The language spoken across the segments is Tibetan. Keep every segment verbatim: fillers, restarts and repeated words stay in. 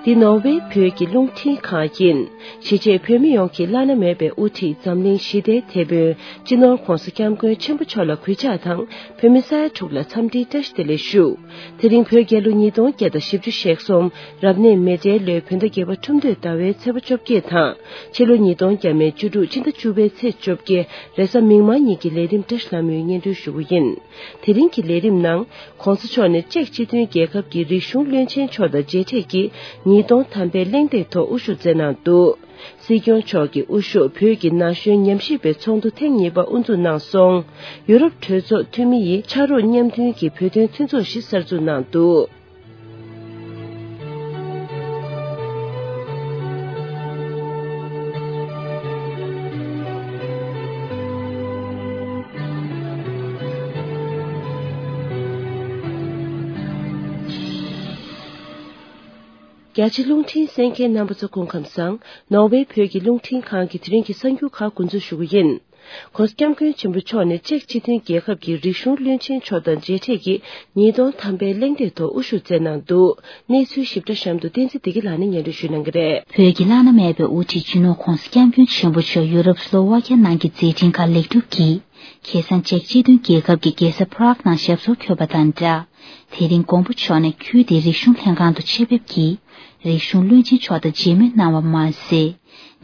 འདི་ནོར་ཝེ་བོད་ཀྱི་རླུང་འཕྲིན་ཁང་ཡིན། གཞིས་བྱེས་བོད་མི་ཡོངས་ཀྱི་བླ་ན་མེད་པའི་དབུ་ཁྲིད་འཛམ་གླིང་ཞི་བདེའི་དེད་དཔོན་སྤྱི་ནོར་༧གོང་ས་༧སྐྱབས་མགོན་ཆེན་པོ་མཆོག་ལ་གུས་ཕྱག་དང་། བོད་མི་ས་ཡ་དྲུག་ལ་འཚམས་འདྲིའི་བཀྲ་ཤིས་བདེ་ལེགས་ཞུ། དེ་རིང་བོད་རྒྱལ་ལོ་ཉིས་སྟོང་བརྒྱ་དང་བཞི་བཅུ་ཞེ་གསུམ་རབ་གནས་མེ་སྤྲེལ་ལོའི་བོད་ཟླ་བརྒྱད་པ་ཁྲུམས་སྟོད་ཟླ་བའི་ཚེས་པ་བཅོ་བརྒྱད་དང་། ཕྱི་ལོ་ཉིས་སྟོང་ཉེར་དྲུག་ཕྱི་ཟླ་བཅུ་པའི་ཚེས་བཅོ་བརྒྱད་རེས་གཟའ་མིག་དམར་ཉིན་གྱི་ལས་རིམ་བཀྲ་ཤིས་ལྷ་མོས་སྙན་སྒྲོན་ཞུ་རྒྱུ་ཡིན། དེ་རིང་གི་ལས་རིམ་ནང་། ༸གོང་ས་མཆོག་ནས་ཅེཀ་སྤྱི་མཐུན་རྒྱལ་ཁབ་ཀྱི་རིག་གཞུང་བློན་ཆེན་མཆོག་དང་མཇལ་འཕྲད་ཀྱིས་ཉིས་སྟོང་ཐམ་པའི་གླེང་སྟེགས་ཐོག་དབུ་བཞུགས་མཛད་གནང་འདུག་སྲིད་སྐྱོང་མཆོག་གིས་དབུ་བཞུགས་བོད་ཀྱི་ན་གཞོན་ཉམས་ཞིབ་པའི་ཚོགས་འདུ་ཐེངས་གཉིས་པ་དབུ་འཛུགས་གནང་སོང་། ཡུ་རོབ་གྲོས་ཚོགས་འཐུས་མི་ཡིས་ཕྱག་རོགས་མཉམ་མཐུན་གྱི་བོད་དོན་མཐུན་ཚོགས་ཤིག་གསར་འཛུགས་གནང་འདུག་རྒྱ་ཆེ་རླུང་འཕྲིན་གསན་མཁན་རྣམ་པ་ཚོ་སྐུ་ཁམས་བཟང་། ནོར་ཝེ་བོད་ཀྱི་རླུང་འཕྲིན་ཁང་གི་དེ་རིང་གི་གསར་འགྱུར་ཁག་འགོ་འཛུགས་ཞུ་གི་ཡིན། ༸གོང་ས་༸སྐྱབས་མགོན་ཆེན་པོ་མཆོག་ནས་ཅེཀ་སྤྱི་མཐུན་རྒྱལ་ཁབ་ཀྱི་རིག་གཞུང་བློན་ཆེན་མཆོག་དང་མཇལ་འཕྲད་ཀྱིས་ཉིས་སྟོང་ཐམ་པའི་གླེང་སྟེགས་ཐོག་དབུ་བཞུགས་མཛད་གནང་འདུག་གནས་ཚུལ་ཞིབ་ཕྲ་གཤམ་དུ་བསྟན་འཛིན་བདེ་སྐྱིད་ལགས་ནས་སྙན་སྒྲོན་ཞུ་གནང་གི་རེད། བོད་ཀྱི་བླ་ན་མེད་པའི་དབུ་ཁྲིད་སྤྱི་ནོར་༸གོང་ས་༸སྐྱབས་མགོན་ཆེན་པོ་མཆོག་ཡུ་རོབ་སློ་ཝ་ཀྱ་ནང་གི་མཛད་འཕྲིན་ཁག་ལེགས་གྲུབ་ཀྱིས། ཁ་སང་ཅེཀ་སྤྱི་མཐུན་རྒྱལ་ཁབ་ཀྱི་རྒྱལ་ས་པ་རག་ནང་ཞབས་སོར་འཁོད་པ་དང་སྦྲགས། དེ་རིང་མགོན་པོ་མཆོག་ནས་ཁུལ་དེའི་རིག་གཞུང་ལྷན་ཁང་དུ་ཆེད་ཕེབས་ཀྱིས། རིག་གཞུང་བློན་ཆེན་མཆོག་དང་མཇལ་མོལ་གནང་བ་མ་ཟད།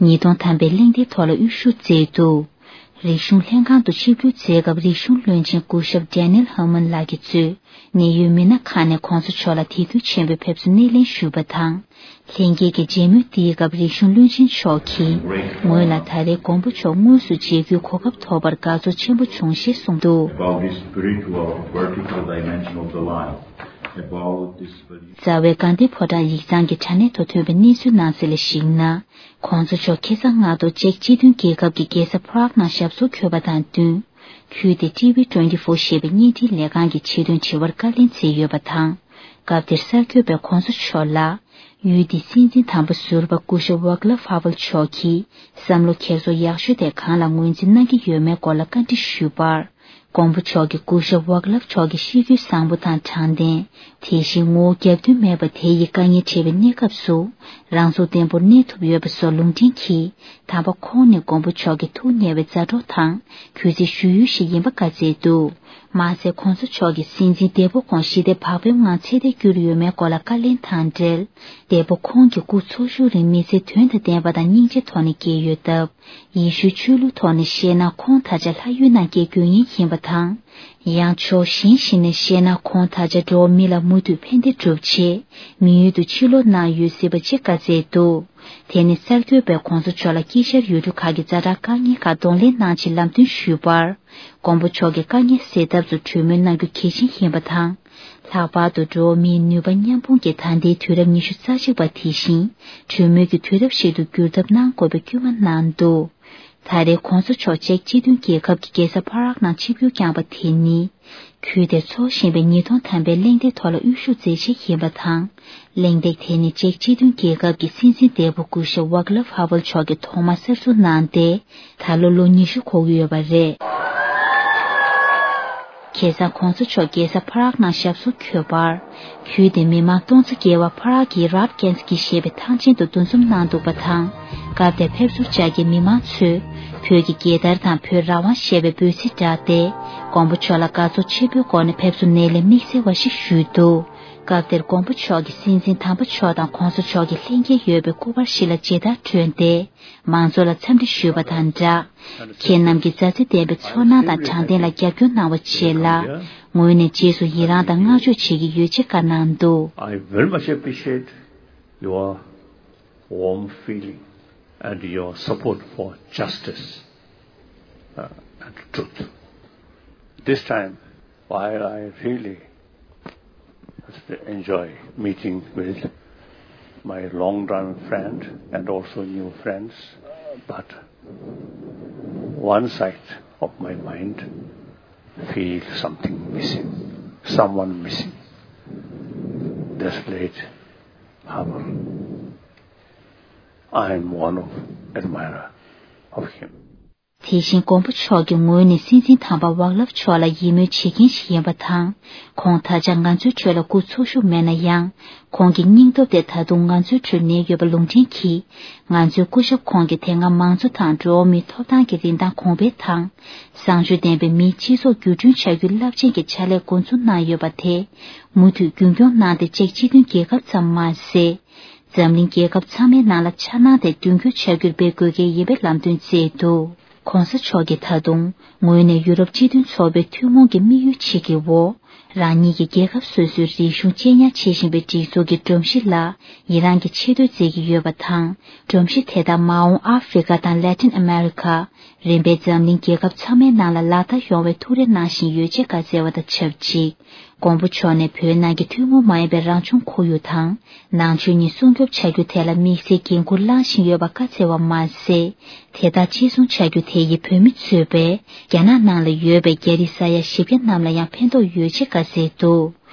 ཉིས་སྟོང་ཐམ་པའི་གླེང་སྟེགས་ཐོག་ལ་དབུ་བཞུགས་མཛད་འདུག་རིག་གཞུང་ལྷན་ཁང་དུ་ཆིབས་བསྒྱུར་མཛད་སྐབས་རིག་གཞུང་བློན་ཆེན་སྐུ་ཞབས་Daniel Herman ལགས་ཀྱིས་གཙོས་གནད་ཡོད་མི་སྣ་ཁག་ནས་༸གོང་ས་མཆོག་ལ་དད་གུས་ཆེན་པོས་ཕེབས་བསུ་སྣེ་ལེན་ཞུས་པ་དང་། ལྷན་རྒྱས་ཀྱི་མཇལ་མོལ་འདིའི་སྐབས་རིག་གཞུང་བློན་ཆེན་མཆོག་གིས་ངོས་ལ་ད་རེས་མགོན་པོ་མཆོག་དངོས་སུ་མཇལ་རྒྱུའི་གོ་སྐབས་ཐོབ་པར་དགའ་ཚོར་ཆེན་པོ་བྱུང་ཞེས་གསུངས་འདུག About this spiritual vertical dimension of the life, about this very རྩ་བའི་དགའ་ལྡན་ཕོ་བྲང་ཡིག་ཚང་གི་དྲ་གནས་ཐོག་ཐོན་པའི་གནས་ཚུལ་ནང་གསལ་ལ་གཞིགས་ན། ༸གོང་ས་མཆོག་ཁ་སང་སྔ་དྲོ་ཅེཀ་སྤྱི་མཐུན་རྒྱལ་ཁབ་ཀྱི་རྒྱལ་ས་པ་རག་ནང་ཞབས་སོར་འཁོད་པ་དང་བསྟུན། ཁུལ་དེ་ཊི་ཝི་ཊུ་ཝེན་ཊི་ཕོར་ཞེས་པའི་བརྙན་འཕྲིན་ལས་ཁང་གི་ཆེད་དོན་དྲི་བར་བཀའ་ལན་བསྩལ་ཡོད་པ་དང་། སྐབས་དེར་གསར་འགོད་པས་༸གོང་ས་མཆོག་ལ། ཡུལ་དེའི་སྲིད་འཛིན་དམ་པ་ཟུར་པ་སྐུ་ཞབས་ཝག་ལབ་ཧ་ཝལ་མཆོག་གིས་བསམ་བློ་འཁྱེར་སོ་ཡག་ཤོས་དེ་གང་ལ་ངོས་འཛིན་གནང་གི་ཡོད་མེད་སྐོར་ལ་བཀའ་འདྲི་ཞུས་པར། མགོན་པོ་མཆོག་གིས་སྐུ་ཞབས་ཝག་ལབ་མཆོག་གི་གཤིས་རྒྱུད་བཟང་པོ་དང་དྲང་བདེན། དེ་བཞིན་ངོ་བོ་རྒྱབ་མདུན་མེད་པ་དེ་ཡི་དཀའ་ངལ་འཕྲད་པའི་གནས་སྐབས་སུ། རང་ཚུགས་བརྟན་པོར་གནས་ཐུབ་ཡོད་པ་སོགས་ལུང་འདྲེན་གྱིས། དམ་པ་ཁོང་ནི་མགོན་པོ་མཆོག་གི་ཐུགས་མཉེས་པའི་མཛའ་གྲོགས་དང་གུས་བརྩི་ཞུ་ཡུལ་ཞིག་ཡིན་པ་བཀའ་སྩལ་འདུག་མ་ཟད་༸གོང་ས་མཆོག་གིས་སྲིད་འཛིན་འདས་པོ་ཁོང་ཞི་བདེ་བག་ཕེབས་ངང་ཚེ་འདས་བསྐྱུར་ཡོད་མེད་སྐོར་ལ་བཀའ་ལན་དང་འབྲེལ། འདས་པོ་ཁོང་གི་སྐུ་འཚོ་བཞུགས་རིང་མི་ཚེ་དོན་དང་ལྡན་པ་དང་སྙིང་རྗེ་ཐོག་ནས་སྐྱེལ་ཡོད་སྟབས། ཡེ་ཤུའི་ཆོས་ལུགས་ཐོག་ནས་བཤད་ན་ཁོང་ད་ཆ་ལྷ་ཡུལ་ནང་སྐྱེ་དགོས་ངེས་ཡིན་པ་དང་། ཡང་ཕྱོགས་གཞན་ཞིག་ནས་བཤད་ན་ཁོང་ད་ཆ་འགྲོ་བ་མི་ལ་མུ་མཐུད་ཕན་བདེ་སྒྲུབ་ཆེད་མི་ཡུལ་དུ་ཕྱིར་ལོག་གནང་ཡོད་སྲིད་པ་ཅེས་བཀའ་སྩལ་འདུག་དེ་ནི་གསར་འགོད་པས་༸གོང་ས་མཆོག་ལ་དཀྱིལ་ཤར་ཡུལ་གྲུ་ཁག་གི་ཛ་དྲག་དཀའ་ངལ་ཁག་གདོང་ལེན་གནང་ཆེད་ལམ་སྟོན་ཞུས་པར། མགོན་པོ་མཆོག་གིས་དཀའ་ངལ་སེལ་ཐབས་སུ་གྲོས་མོལ་གནང་རྒྱུ་གལ་ཆེན་ཡིན་པ་དང་། ལྷག་པར་དུ་འགྲོ་བ་མིའི་ནུས་པ་མཉམ་སྤུངས་ཀྱི་ད་ལྟའི་དུས་རབས་ཉི་ཤུ་རྩ་གཅིག་པ་དེ་བཞིན་གྲོས་མོལ་གྱི་དུས་རབས་ཤིག་ཏུ་འགྱུར་ཐབས་གནང་དགོས་པའི་སྐུལ་མ་གནང་འདུག་ད་རེས་༸གོང་ས་མཆོག་ཅེཀ་སྤྱི་མཐུན་རྒྱལ་ཁབ་ཀྱི་རྒྱལ་ས་པ་རག་ནང་ཆིབས་བསྒྱུར་བསྐྱངས་པ་དེ་ནི། ཁུལ་དེར་འཚོགས་བཞིན་པའི་ཉིས་སྟོང་ཐམ་པའི་གླེང་སྟེགས་ཐོག་ལ་དབུ་བཞུགས་མཛད་རྗེས་ཡིན་པ་དང་། གླེང་སྟེགས་དེ་ནི་ཅེཀ་སྤྱི་མཐུན་རྒྱལ་ཁབ་ཀྱི་སྲིད་འཛིན་འདས་པོ་སྐུ་ཞབས་ཝག་ལབ་ཧ་ཝལ་མཆོག་གིས་ཐོག་མར་གསར་འཛུགས་གནང་སྟེ། ད་ལོ་ལོ་ཉི་ཤུ་འཁོར་གྱི་ཡོད་པ་རེད། ཁ་སང་༸གོང་ས་མཆོག་རྒྱལ་ས་པ་རག་ནང་ཞབས་སོར་འཁོད་པར། ཁུལ་དེའི་མི་མང་སྟོང་ཚོ་བརྒལ་བ་པ་རག་གི་རབ་ཀེན་སི་ཀི་ཞེས་པའི་ཐང་ཆེན་དུ་འདུ་འཛོམས་གནང་འདུག་པ་དང་། སྐབས་དེར་ཕེབས་བསུར་བཅར་མཁན་མི་མང་ཚོས། བོད་ཀྱི་རྒྱལ་དར་དང་བོད་རང་དབང་ཞེས་པའི་འབོད་ཚིག་བསྒྲགས་ཏེ། མགོན་པོ་མཆོག་ལ་དགའ་ཚོར་ཆེན་པོའི་སྒོ་ནས་ཕེབས་བསུ་སྣེ་ལེན་དམིགས་བསལ་བ་ཞིག་ཞུས་འདུག་སྐབས་དེར་མགོན་པོ་མཆོག་གིས་སྲིད་འཛིན་དམ་པ་མཆོག་དང་༸གོང་ས་མཆོག་གི་ལྷན་རྒྱས་ཡོད་པའི་སྐུ་པར་ཞིག་ལ་མཇལ་དར་སྒྲོན་ཏེ། མང་ཚོགས་ལ་འཚམས་འདྲི་ཞུས་པ་དང་སྦྲགས། ཁྱེད་རྣམས་ཀྱི་མཛའ་བརྩེ་ལྡན་པའི་ཚོར་སྣང་དང་དྲང་བདེན་ལ་རྒྱབ་སྐྱོར་གནང་བ་བཅས་ལ། ངོས་ནས་རྗེས་སུ་ཡི་རང་དང་བསྔགས་བརྗོད་བྱེད་ཀྱི་ཡོད་ཅེས་བཀའ་གནང་འདུག I very much appreciate your warm feeling and your support for justice, uh, and truth. This time, while I really enjoy meeting with my long-time friend and also new friends, but one side of my mind feel something missing, someone missing. This late Havel. I am one of admirer of him. དེ་བཞིན་མགོན་པོ་མཆོག་གི་ངོས་ནས་སྲིད་འཛིན་དམ་པ་ཝག་ལབ་མཆོག་ལ་ཡིད་སྨོན་བྱེད་མཁན་ཞིག་ཡིན་པ་དང་། ཁོང་ད་ཆ་ང་ཚོའི་ཁྲོད་ལ་སྐུ་འཚོ་བཞུགས་མེད་ན་ཡང་། ཁོང་གི་སྙིང་སྟོབས་དེ་ད་དུང་ང་ཚོའི་ཁྲོད་གནས་ཡོད་པ་ལུང་འདྲེན་གྱིས། ང་ཚོའི་སྐུ་ཞབས་ཁོང་གིས་དེ་སྔ་མང་གཙོ་དང་འགྲོ་བ་མིའི་ཐོབ་ཐང་གི་རིན་ཐང་གོང་འཕེལ་དང་། བཟང་སྤྱོད་ལྡན་པའི་མིའི་སྤྱི་ཚོགས་འགྱུར་སྐྲུན་བྱ་རྒྱུའི་རླབས་ཆེན་གྱི་ཕྱག་ལས་འགོ་འཛུགས་གནང་ཡོད་པ་དེ། མུ་མཐུད་རྒྱུན་འཁྱོངས་གནང་སྟེ། ཅེཀ་སྤྱི་མཐུན་རྒྱལ་ཁབ་ཙམ་མ་ཟད། འཛམ་གླིང་རྒྱལ་ཁབ་ཚང་མའི་ནང་ལ་འཆར་སྣང་དེ་དོན་འཁྱོལ་བྱ་རྒྱུར་འབད་དགོས་གལ་ཡིན་པའི་ལམ་སྟོན་བསྩལ་འདུག ྋགོང་ས་མཆོག་གིས་ད་དུང་ངོས་ནས་ཡུ་རོབ་སྤྱི་མཐུན་ཚོགས་པའི་ཐུན་མོང་གི་དམིགས་ཡུལ་གཅིག་གི་འོག་རང་ཉིད་ཀྱི་རྒྱལ་ཁབ་སོ་སོའི་རིག་གཞུང་གཅེས་ཉར་བྱེད་བཞིན་པའི་སྒྲིག་འཛུགས་ཀྱི་སྒྲོམ་གཞི་ལ་ཡི་རངས་ཀྱི་ཆེ་བསྟོད་མཛད་ཀྱི་ཡོད་པ་དང་། སྒྲོམ་གཞི་དེ་དག་མ་འོངས་ཨ་ཧྥེ་རི་ཁ་དང་ལེ་ཏིན་ཨ་མེ་རི་ཁ། རིམ་པས་འཛམ་གླིང་རྒྱལ་ཁབ་ཚང་མའི་ནང་ལ་ལག་བསྟར་ཡོང་བའི་ཐུགས་རེ་གནང་བཞིན་ཡོད་ཅེས་བཀའ་སྩལ་བ་དང་ཆབས་ཅིག ྋགོང་པོ་མཆོག་ནས་བོད་ནང་གི་ཐུན་མོང་མ་ཡིན་པའི་རང་བྱུང་ཁོར་ཡུག་དང་ནང་ཆོས་གཉིས་སྲུང་སྐྱོབ་བྱ་རྒྱུ་དེ་ལ་དམིགས་བསལ་འགན་འཁུར་བླངས་བཞིན་ཡོད་པ་བཀའ་སྩལ་བ་མ་ཟད། དེ་དག་གཅེས་སྲུང་བྱ་རྒྱུ་དེ་ཡིས་བོད་མི་གཙོས་པའི་རྒྱ་ནག་ནང་ལ་ཡོད་པའི་རྒྱ་རིགས་ས་ཡ་བཞི་བརྒྱ་རྣམས་ལ་ཡང་ཕན་ཐོགས་ཡོད་ཅེས་བཀའ་སྩལ་འདུག་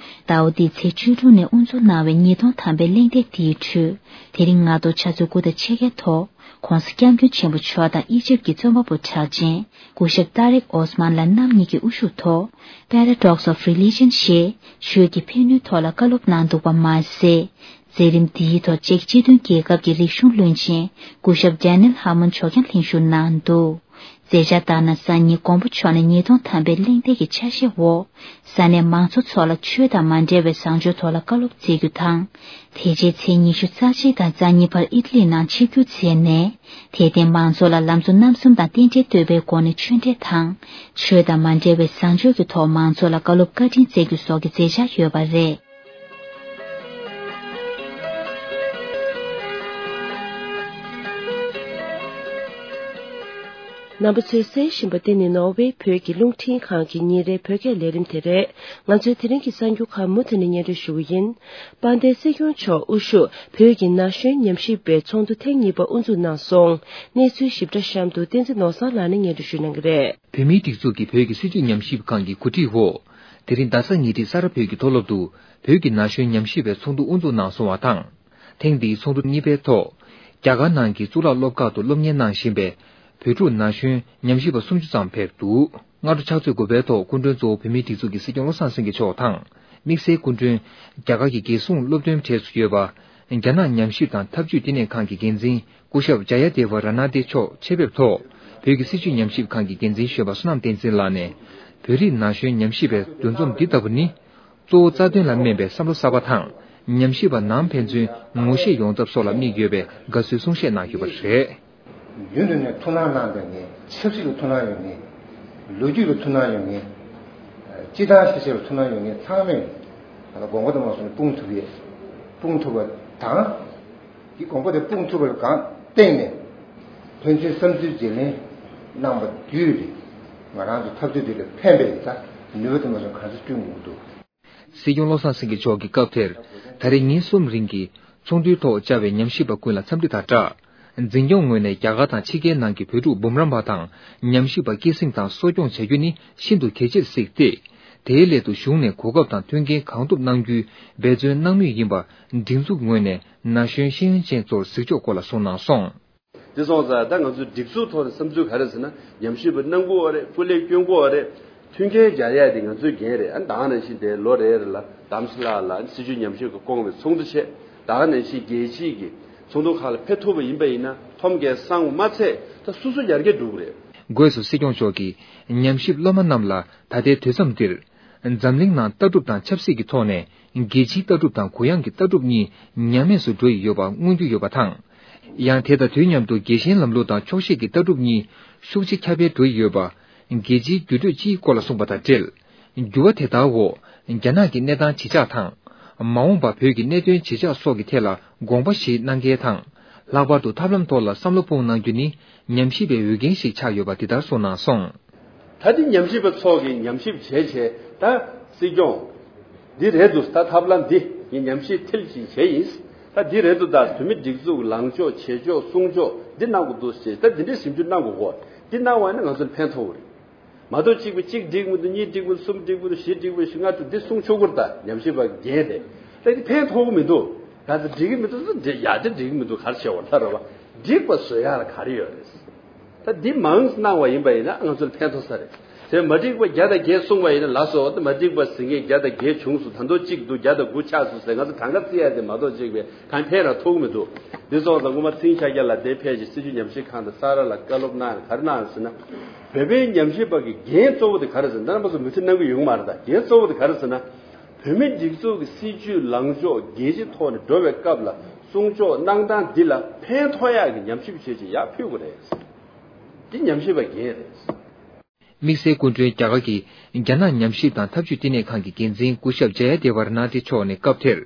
ཟླ་བ་འདིའི་ཚེས་བཅུ་དྲུག་ནས་དབུ་འཛུགས་གནང་བའི་ཉིས་སྟོང་ཐམ་པའི་གླེང་སྟེགས་འདིའི་ཁྲོད། དེ་རིང་སྔ་དྲོ་ཆུ་ཚོད་དགུ་དང་ཕྱེད་ཀའི་ཐོག ྋགོང་ས་ྋསྐྱབས་མགོན་ཆེན་པོ་མཆོག་དང་ཨི་ཇིབ་ཀྱི་རྩོམ་པ་པོ་གྲགས་ཅན་སྐུ་ཞབས་ཏཱ་རིག་ཨོ་སི་མཱན་ལགས་རྣམ་གཉིས་ཀྱི་དབུ་བཞུགས་ཐོག Paradox of Religion ཞེས་ཆོས་ཀྱི་ཕན་ནུས་ཐོག་ལ་བཀའ་སློབ་གནང་འདུག་པ་མ་ཟད། མཛད་རིམ་འདིའི་ཐོག་ཅེཀ་སྤྱི་མཐུན་རྒྱལ་ཁབ་ཀྱི་རིག་གཞུང་བློན་ཆེན་སྐུ་ཞབས་Daniel Harmon མཆོག་ཀྱང་ལྷན་ཞུགས་གནང་འདུག་མཛད་འཆར་ལྟར་ན། སང་ཉིན་མགོན་པོ་མཆོག་ནས་ཉིས་སྟོང་ཐམ་པའི་གླེང་སྟེགས་ཀྱི་ཆ་ཤས་འོག་ས་གནས་མང་ཚོགས་ཚོ་ལ་ཆོས་དང་མ་འབྲེལ་བའི་བཟང་སྤྱོད་ཐོག་ལ་བཀའ་སློབ་སྩལ་རྒྱུ་དང་། དེ་རྗེས་ཚེས་ཉི་ཤུ་རྩ་གཅིག་དང་རྩ་གཉིས་བར་ཨི་ཏ་ལི་ནང་ཆིབས་བསྒྱུར་མཛད་ནས། དད་ལྡན་མང་ཚོགས་ལ་ལམ་གཙོ་རྣམ་གསུམ་དང་རྟེན་འབྲེལ་བསྟོད་པའི་སྒོ་ནས་ཆོས་འབྲེལ་དང་། ཆོས་དང་མ་འབྲེལ་བའི་བཟང་སྤྱོད་ཀྱི་ཐོག་མང་ཚོགས་ལ་བཀའ་སློབ་བཀའ་དྲིན་སྩལ་རྒྱུ་སོགས་ཀྱི་མཛད་འཆར་ཡོད་པ་རེད། རྣམ་པ་ཚོས་གསན་བཞིན་པ་འདི་ནི་ནོར་ཝེ་བོད་ཀྱི་རླུང་འཕྲིན་ཁང་གི་ཉིན་རེའི་བོད་སྐད་ལས་རིམ་དེ་རེད། ང་ཚོའི་དེ་རིང་གི་གསར་འགྱུར་ཁག་མུ་མཐུད་ནས་སྙན་སྒྲོན་ཞུ་གི་ཡིན། དཔལ་ལྡན་སྲིད་སྐྱོང་མཆོག་དབུ་བཞུགས་བོད་ཀྱི་ན་གཞོན་ཉམས་ཞིབ་པའི་ཚོགས་འདུ་ཐེངས་གཉིས་པ་དབུ་འཛུགས་གནང་སོང་། གནས་ཚུལ་ཞིབ་ཕྲ་གཤམ་དུ་བསྟན་འཛིན་ནོར་བཟང་ལགས་ནས་སྙན་སྒྲོན་ཞུ་གནང་གི་རེད། བོད་མིའི་སྒྲིག་འཛུགས་ཀྱི་བོད་ཀྱི་སྲིད་བྱུས་ཉམས་ཞིབ་ཁང་གི་གོ་སྒྲིག་འོག་དེ་རིང་རྡ་ས་ཉེ་འཁྲིས་ས་རཱ་བོད་ཀྱི་མཐོ་སློབ་ཏུ་བོད་ཀྱི་ན་གཞོན་ཉམས་ཞིབ་པའི་ཚོགས་འདུ་དབུ་འཛུགས་གནང་སོང་བ་དང་། ཐེངས་འདིའི་ཚོགས་འདུ་གཉིས་པའི་ཐོག་རྒྱ་གར་ནང་གི་གཙུག་ལག་སློབ་ཁག་ཏུ་སློབ་གཉེར་གནང་བཞིན་པའི་བོད་ཕྲུག་ན་གཞོན་ཉམས་ཞིབ་པ་སུམ་ཅུ་ཙམ་ཕེབས་འདུག་སྔ་དྲོ་ཕྱག་ཚོད་དགུ་པའི་ཐོག་སྐུ་མགྲོན་གཙོ་བོ་བོད་མིའི་སྒྲིག་འཛུགས་ཀྱི་སྲིད་སྐྱོང་བློ་བཟང་སེང་གེ་མཆོག་དང་། དམིགས་བསལ་སྐུ་མགྲོན། རྒྱ་གར་གྱི་རྒྱལ་སྲུང་སློབ་སྟོན་གྲས་སུ་ཡོད་པ། རྒྱ་ནག་ཉམས་ཞིབ་དང་འཐབ་ཇུས་བསྟི་གནས་ཁང་གི་འགན་འཛིན་སྐུ་ཞབས་ཇ་ཡ་དེ་བ་ར་ནཱ་ཏེ་མཆོག་ཆེད་ཕེབས་ཐོག་བོད་ཀྱི་སྲིད་བྱུས་ཉམས་ཞིབ་ཁང་གི་འགན་འཛིན་གཞོན་པ་བསོད་ནམས་བསྟན་འཛིན་ལགས་ནས། བོད་རིགས་ན་གཞོན་ཉམས་ཞིབ་པའི་འདུ་འཛོམས་འདི་ལྟ་བུ་ནི། གཙོ་བོ་རྩ་དོན་ལ་སྨན་པའི་བསམ་བློ་གསར་པ་དང་། ཉམས་ཞིབ་པ་ནང་ཕན་ཚུན་ངོ་ཤེས་ཡོང་ཐབས་སོགས་ལ་དམིགས་ཡོད་པའི་དགའ་བསུའི་གསུང་བཤད་གནང་ཡོད་པ་རེད། རྒྱུན་དུ་ནས་ཐུགས་སྣང་གནང་བསྡད་མཁན། ཆབ་སྲིད་ལ་ཐུགས་སྣང་ཡོད་མཁན། ལོ་རྒྱུས་ལ་ཐུགས་སྣང་ཡོད་མཁན། སྤྱི་བཏང་ཤེས་བྱ་ལ་ཐུགས་སྣང་ཡོད་མཁན་ཚང་མས་དགོངས་པ་དང་མ་སོང་ནས་སྤུངས་ཐུབ་ཡས། སྤུངས་ཐུབ་པ་དང་། དེ་དགོངས་པ་དེ་སྤུངས་ཐུབ་པ་ལ་གང་བརྟེན་ནས་ཕན་ཚུན་བསམ་ཚུལ་བརྗེ་ལེན་གནང་པ་བརྒྱུད་དེ་ང་རང་ཚོ་འཐབ་རྩོད་འདི་ལ་ཕན་པའི་ད་ནུས་པ་དེ་མ་སོང་གང་ས་བསྐྲུན་དགོས་འདུག་སྲིད་སྐྱོང་བློ་བཟང་སེང་གེ་མཆོག་གིས་སྐབས་དེར་ད་རེས་ཉིན་གསུམ་རིང་གི་ཚོགས་འདུའི་ཐོག་བཅར་བའི་ཉམས་ཞིབ་པ་ཀུན་ལ་འཚམས་འདྲི་དང་སྦྲགས། འཛིན་སྐྱོང་ངོས་ནས་རྒྱ་གར་དང་ཕྱི་རྒྱལ་ནང་གི་བོད་ཕྲུག་འབུམ་རམས་པ་དང་ཉམས་ཞིབ་པ་སྐྱེད་སྲིང་དང་གསོ་སྐྱོང་བྱ་རྒྱུ་ནི་ཤིན་ཏུ་གལ་ཆེར་གཟིགས་ཏེ། དེའི་སླད་དུ་གཞུང་ནས་གོ་སྐབས་དང་མཐུན་རྐྱེན་གང་ཐུབ་གནང་རྒྱུའི་འབད་བརྩོན་གནང་མུས་ཡིན་པ་སྒྲིག་འཛུགས་ངོས་ནས་ན་གཞོན་ཤེས་ཡོན་ཅན་ཚོར་གཟིགས་ཕྱོགས་སྐོར་ལ་གསུངས་གནང་སོང་། དེ་སོང་ཙང་ད་ང་ཚོའི་སྒྲིག་འཛུགས་ཐོག་ནས་བསམ་ཚུལ་ག་རེ་ཟེར་ན། ཉམས་ཞིབ་པ་གནང་དགོས་པ་རེད། སྐུ་ལས་སྐྱོན་དགོས་པ་རེད། མཐུན་རྐྱེན་སྦྱར་ཡ་དེ་ང་ཚོའི་འགན་རེད། ཨ་ནི་ད་ག་ནང་བཞིན་དེ་ལོ་རེ་རེ་ལ་དམ་སྲི་ལགས་ལ་སྲིད་བྱུས་ཉམས་ཞིབ་ཀྱི་སྐོང་བའི་ཚོགས་འདུ་བྱས། ད་ག་ནང་བཞིན་རྒྱལ་སྤྱིའི་གི་ཚོགས་འདུ་ཁག་ལ་ཕེབས་ཐུབ་པ་ཡིན་པ་ཡིན་ན་ཁྲོམ་རྒྱལ་སང་བ་མ་ཚད་ད་སོ་སོ་ཡར་རྒྱས་འགྲོ་གི་རེད། སྒོས་སུ་སྲིད་སྐྱོང་མཆོག་གིས་ཉམས་ཞིབ་སློབ་མ་རྣམས་ལ་ད་ལྟའི་དུས་མཚམས་འདིར། འཛམ་གླིང་ནང་ལྟ་གྲུབ་དང་ཆབ་སྲིད་ཀྱི་ཐོག་ནས་རྒྱལ་སྤྱིའི་ལྟ་གྲུབ་དང་གུ་ཡངས་ཀྱི་ལྟ་གྲུབ་གཉིས་ཉམས་དམས་སུ་འགྲོ་ཡི་ཡོད་པ་མངོན་རྒྱུ་ཡོད་པ་དང་། ཡང་དེ་དང་དུས་མཉམ་དུ་རྒྱལ་ཞེན་ལམ་ལུགས་དང་ཆོག་ཤེས་ཀྱི་ལྟ་གྲུབ་གཉིས་ཤུགས་ཆེ་ཁྱབ་སྤེལ་འགྲོ་ཡི་ཡོད་པ། རྒྱལ་སྤྱིའི་འགྱུར་འགྲོས་སྤྱིའི་སྐོར་ལ་གསུངས་པ་དང་འབྲེལ། འགྱུར་བ་དེ་དག་འོག་རྒྱ་ནག་གི་གནས་སྟངས་ཇི་ཆགས་དང་། མ་འོངས་པ་བོད་ཀྱི་གནད་དོན་ཇི་ཆགས་སོགས་ཀྱི་ཐད་ལ་དགོངས་པ་བཞེས་གནང་མཁན་དང་། ལྷག་པར་དུ་ཐབས་ལམ་ཐོག་ལ་བསམ་བློ་སྤུངས་གནང་རྒྱུ་ནི་ཉམས་ཞིབ་པའི་འོས་འགན་ཞིག་ཆགས་ཡོད་པ་འདི་ལྟར་གསུངས་གནང་སོང་། ད་འདི་ཉམས་ཞིབ་པ་ཚོ་གིས་ཉམས་ཞིབ་བྱས་བྱས་ད་སྲིད་སྐྱོང་། འདི་རེད་འདུག་ད་ཐབས་ལམ་འདི་ངས་ཉམས་ཞིབ་མཐིལ་ཕྱིན་བྱས་ཡིན། ད་འདི་རེད་འདུག་ད་བོད་མི་སྒྲིག་འཛུགས་ལངས་ཕྱོགས་བྱེད་ཕྱོགས་གསུང་ཕྱོགས་འདི་གནང་དགོས་འདུག་ཟེར་ད་འདི་འདྲའི་ཞིབ་འཇུག་གནང་དགོས་གོ། འདི་གནང་བ་ཡིན་ན་ང་ཚོར་ཕན་ཐོགས་རེད། མ་གཏོགས་གཅིག་པུ་གཅིག་འགྲིག་མི་འདུག་གཉིས་འགྲིག་མི་འདུག་གསུམ་འགྲིག་མི་འདུག་བཞི་འགྲིག་མི་འདུག་བཞི་ལྔ་འདུག་འདི་གསུང་ཆོག་གི་རེད། ད་ཉམས་ཞིབ་པ་རྒན་དེ་ད་འདི་ཕན་ཐོགས་གི་མི་འདུག་ག་ཚོད་འགྲིག་གི་མི་འདུག་ཡ་འདི་འགྲིག་གི་མི་འདུག་ག་རེ་བྱེད་དགོས་ལྟ་རེད་བ། འགྲིག་པ་བཟོ་ཡ་ལ་ག་རེ་ཡོད་རེད། ད་འདི་མང་གནང་བ་ཡིན་པ་ཡིན་ན་ང་ཚོར་ཕན་ཐོགས་ས་རེད། དེ་མ་འགྲིག་པ་བརྒྱ་དང་བརྒྱད་གསུངས་པ་ཡིན་ན་ལགས་སོ། ད་མ་འགྲིག་པ་ཟིན་མཁན་བརྒྱ་དང་བརྒྱད་བྱུང་སོང་། ད་དུང་གཅིག་འདུག་བརྒྱ་དང་དགུ་ཆགས་སོང་ཟེར་ང་ཚོ་གྲངས་ཀ་བརྩི་ཡ་དེ་མ་གཏོགས་གཅིག་པས་གང་ཕན་ར་ཐོགས་མི་འདུག་འདི་སོང་ཙང་སྔོན་མ་ཚིང་ཤཱཀྱ་ལགས་དེ་ཕེབས་ཤིང་སྲིད་བྱུས་ཉམས་ཞིབ་ཁང་དང་ས་ར་ལ་བཀའ་སློབ་གནང་ག་རེ་གནང་ཟེར་ན། བོད་པའི་ཉམས་ཞིབ་པ་གི་འགན་གཙོ་བོ་དེ་ག་རེ་ཟེར་ན། ད་རྣམ་པ་ཚོ་མི་ཚེ་གནང་གི་ཡོང་མ་རེད། ད་འགན་གཙོ་བོ་དེ་ག་རེ་ཟེར་ན། བོད་མིའི་སྒྲིག་འཛུགས་ཀྱི་སྲིད་བྱུས་ལངས་ཕྱོགས་རྒྱལ་སྤྱིའི་ཐོག་ནས་འགྲོ་བའི་སྐབས་ལ་སྲུང་སྐྱོབ་གནང་སྟངས་འདི་ལ་ཕན་ཐོགས་ཡག་གི་ཉམས་ཞིབ་བྱས་ཅིག་ཡར་ཕུལ་དགོས་རེད། འདི་ཉམས་ཞིབ་པ་འགན་རེད། དམིགས་བསལ་སྐུ་མགྲོན་རྒྱ་གར་གྱི་རྒྱ་ནག་ཉམས་ཞིབ་དང་འཐབ་ཇུས་བསྟི་གནས་ཁང་གི་འགན་འཛིན་སྐུ་ཞབས་ཇ་ཡ་དེ་ཝར་ན་ཏི་མཆོག་ནས་སྐབས་དེར།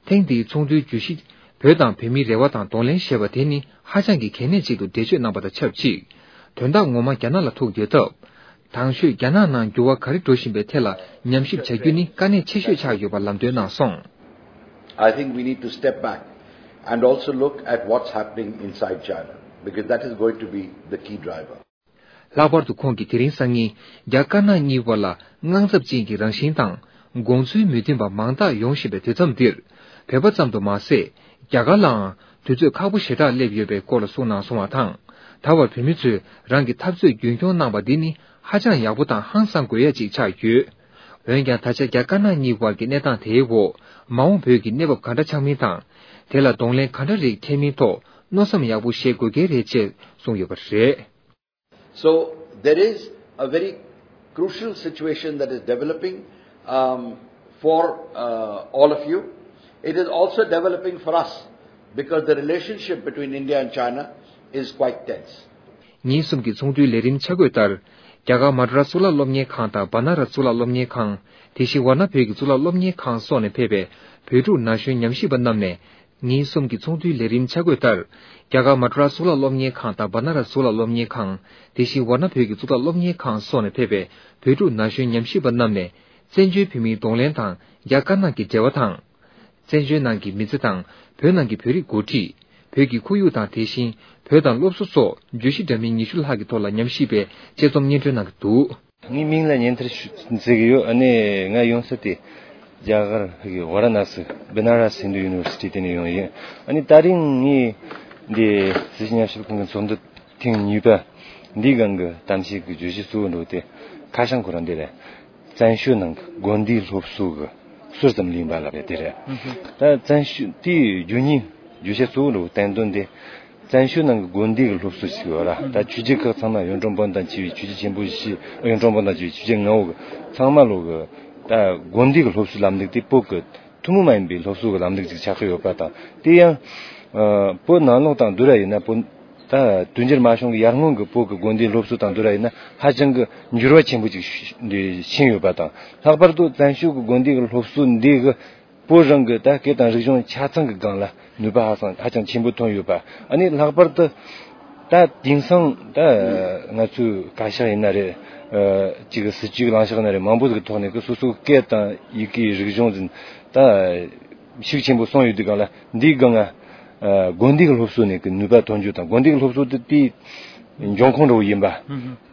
ཐེངས་འདིའི་ཚོགས་འདུའི་བརྗོད་གཞི། བོད་དང་བོད་མིའི་རེ་བ་དང་གདོང་ལེན་ཞེས་པ་དེ་ནི་ཧ་ཅང་གི་གལ་གནད་ཅིག་ཏུ་འགྲེལ་བརྗོད་གནང་པ་དང་ཆབས་ཅིག་དོན་དག་ངོ་མ་རྒྱ་ནག་ལ་ཐུག་ཡོད་སྟབས། དང་ཤོས་རྒྱ་ནག་ནང་འགྱུར་བ་ག་རེ་འགྲོ་བཞིན་པའི་ཐད་ལ་ཉམས་ཞིབ་བྱ་རྒྱུ་ནི་དཀའ་གནད་ཆེ་ཤོས་ཆགས་ཡོད་པ་ལམ་སྟོན་གནང་སོང་། I think we need to step back and also look at what's happening inside China, because that is going to be the key driver. ལྷག་པར་དུ་ཁོང་གིས་དེ་རིང་སང་ཉིན་རྒྱ་དཀར་ནག་གཉིས་བར་ལ་དངངས་འཚབ་ཅན་གྱི་རང་བཞིན་དང་དགོངས་ཚུལ་མི་མཐུན་པ་མང་དག་ཡོང་བཞིན་པའི་དུས་མཚམས་འདིར། བོད་པ་ཙམ་དུ་མ་ཟད། རྒྱ་གར་ལའང་དུས་ཚོད་ཁག་པོ་ཞེ་དྲག་སླེབས་ཡོད་པའི་སྐོར་ལ་གསུངས་གནང་སོང་བ་དང་། ད་བར་བོད་མི་ཚོས་རང་གི་འཐབ་རྩོད་རྒྱུན་འཁྱོངས་གནང་པ་འདི་ནི་ཧ་ཅང་ཡག་པོ་དང་ཧང་སང་དགོས་ཡ་ཅིག་ཆགས་ཡོད། འོན་ཀྱང་ད་ཆ་རྒྱ་དཀར་ནག་གཉིས་བར་གྱི་གནས་སྟངས་དེའི་འོག་མ་འོངས་བོད་ཀྱི་གནས་བབ་ག་འདྲ་ཆགས་མིན་དང་། དེ་ལ་གདོང་ལེན་ག་འདྲ་རིགས་འཁེལ་མིན་ཐོག་མནོ་བསམ་ཡག་པོ་བཞེས་དགོས་གལ་རེད་ཅེས་གསུངས་ཡོད་པ་རེད། So there is a very crucial situation that is developing um, for uh, all of you. It is also developing for us because the relationship between India and China is quite tense. ཉིན་གསུམ་གྱི་ཚོགས་འདུའི་ལས་རིམ་ཆ་བགོས་ལྟར། རྒྱ་གར་མ་ཌ་ར་གཙུག་ལག་སློབ་གཉེར་ཁང་དང་བ་ན་ར་གཙུག་ལག་སློབ་གཉེར་ཁང་། དེ་བཞིན་ཝཱ་ཎ་བོད་ཀྱི་གཙུག་ལག་སློབ་གཉེར་ཁང་སོགས་ནས་ཕེབས་པའི་བོད་ཕྲུག་ན་གཞོན་ཉམས་ཞིབ་པ་རྣམས་ནས། ཉིན་གསུམ་གྱི་ཚོགས་འདུའི་ལས་རིམ་ཆ་བགོས་ལྟར། རྒྱ་གར་མ་ཌ་ར་གཙུག་ལག་སློབ་གཉེར་ཁང་དང་བ་ན་ར་གཙུག་ལག་སློབ་གཉེར་ཁང་། དེ་བཞིན་ཝཱ་ཎ་བོད་ཀྱི་གཙུག་ལག་སློབ་གཉེར་ཁང་སོགས་ནས་ཕེབས་པའི་བོད་ཕྲུག་ན་གཞོན་ཉམས་ཞིབ་པ་རྣམས་ནས། བཙན་བྱོལ་བོད་མིའི་གདོང་ལེན་དང་རྒྱ་དཀར་ནག་གི་འབྲེལ་བ་དང་། བཙན་བྱོལ་ནང་གི་མི་ཚེ་དང་བོད་ནང་གི་བོད་རིགས་འགོ་ཁྲིད། བོད་ཀྱི་ཁོར་ཡུག་དང་དེ་བཞིན་བོད་དང་སློབ་གསོ་སོགས་བརྗོད་གཞི་འདྲ་མིན་ཉི་ཤུ་ལྷག་གི་ཐོག་ལ་ཉམས་ཞིབ་པའི་དཔྱད་རྩོམ་སྙན་སྒྲོན་གནང་གི་འདུག་ངའི་མིང་ལ་ཉན་ཐར་ཞུ་ཟེར་གི་ཡོད། ཨ་ནི་ང་ཡོང་ས་དེ་རྒྱ་གར་གི་ཝཱ་ར་ཎ་སི་བི་ན་ར་སི་ཧིན་དུ་ཡུ་ནི་ཝར་སི་ཊི་དེ་ནས་ཡོང་ཡིན། ཨ་ནི་ད་རིང་ངས་འདི་སྲིད་སྤྱི་ཉམས་ཞིབ་ཁང་གི་ཚོགས་འདུ་ཐེངས་གཉིས་པ་འདིའི་སྒང་གི་གཏམ་བཤད་ཀྱི་བརྗོད་གཞི་གཙོ་བོ་འགྲོ་དེ་ཁ་བྱང་ཁོ་རང་འདི་རེད། བཙན་བྱོལ་ནང་གི་དགོན་སྡེའི་སློབ་གསོ་གི་ཟུར་ཙམ་ལེན་པ་ལབ་ཡ་དེ་རེད། ད་བཙན་བྱོལ་དེའི་རྒྱུ་རྙིང་བརྗོད་བྱ་གཙོ་བོ་ལ་བསྟན་དོན་དེ། བཙན་བྱོལ་ནང་གི་དགོན་སྡེ་གི་སློབ་གསོ་ཞིག་ཡོད་ར། ད་ཆོས་བརྒྱུད་ཁག་ཚང་མ་གཡུང་དྲུང་བོན་དང་བཅས་པའི་ཆོས་བརྒྱུད་ཆེན་པོ་བཞི། གཡུང་དྲུང་བོན་དང་བཅས་པའི་ཆོས་བརྒྱུད་ལྔ་བོ་གི་ཚང་མ་ལོ་གི་ད་དགོན་སྡེ་གི་སློབ་གསོའི་ལམ་ལུགས་དེ་བོད་གི་ཐུན་མོང་མ་ཡིན་པའི་སློབ་གསོ་གི་ལམ་ལུགས་ཅིག་ཆགས་ཀྱི་ཡོད་པ་དང་། དེ་ཡང་བོད་ནང་ལོགས་དང་བསྡུར་བ་ཡིན་ན་བོད་ད་དུས་འགྱུར་མ་བྱུང་གི་ཡར་སྔོན་གྱི་བོད་ཀྱི་དགོན་སྡེའི་སློབ་གསོ་དང་བསྡུར་བ་ཡིན་ན་ཧ་ཅང་གི་འགྱུར་བ་ཆེན་པོ་ཅིག་ཕྱིན་ཡོད་པ་དང་། ལྷག་པར་དུ་བཙན་བྱོལ་གྱི་དགོན་སྡེ་གི་སློབ་གསོ་འདི་གི་བོད་རང་གི་ད་སྐད་དང་རིག་གཞུང་ཆ་ཚང་གི་སྒང་ལ་ནུས་པ་ཧ་སང་ཧ་ཅང་ཆེན་པོ་ཐོན་ཡོད་པ། ཨ་ནི་ལྷག་པར་དུ་ད་དེང་སང་ད་ང་ཚོའི་བཀའ་ཤག་ཡིན་ན་རེད། ཅིག་གི་སྲིད་བྱུས་ལངས་ཕྱོགས་ཡིན་ན་རེད། མང་པོ་ཟིག་གི་ཐོག་ནས་གི་སོ་སོའི་སྐད་དང་ཡི་གེའི་རིག་གཞུང་ཟིན་ད་ཤུགས་ཆེན་པོ་སོང་ཡོད་དུས་སྒང་ལ་འདིའི་སྒང་ང་དགོན་སྡེ་གི་སློབ་གསོ་ནས་གི་ནུས་པ་ཐོན་རྒྱུ་དང་། དགོན་སྡེ་གི་སློབ་གསོ་དེ་དེའི་འབྱུང་ཁུངས་འདྲ་བོ་ཡིན་པ།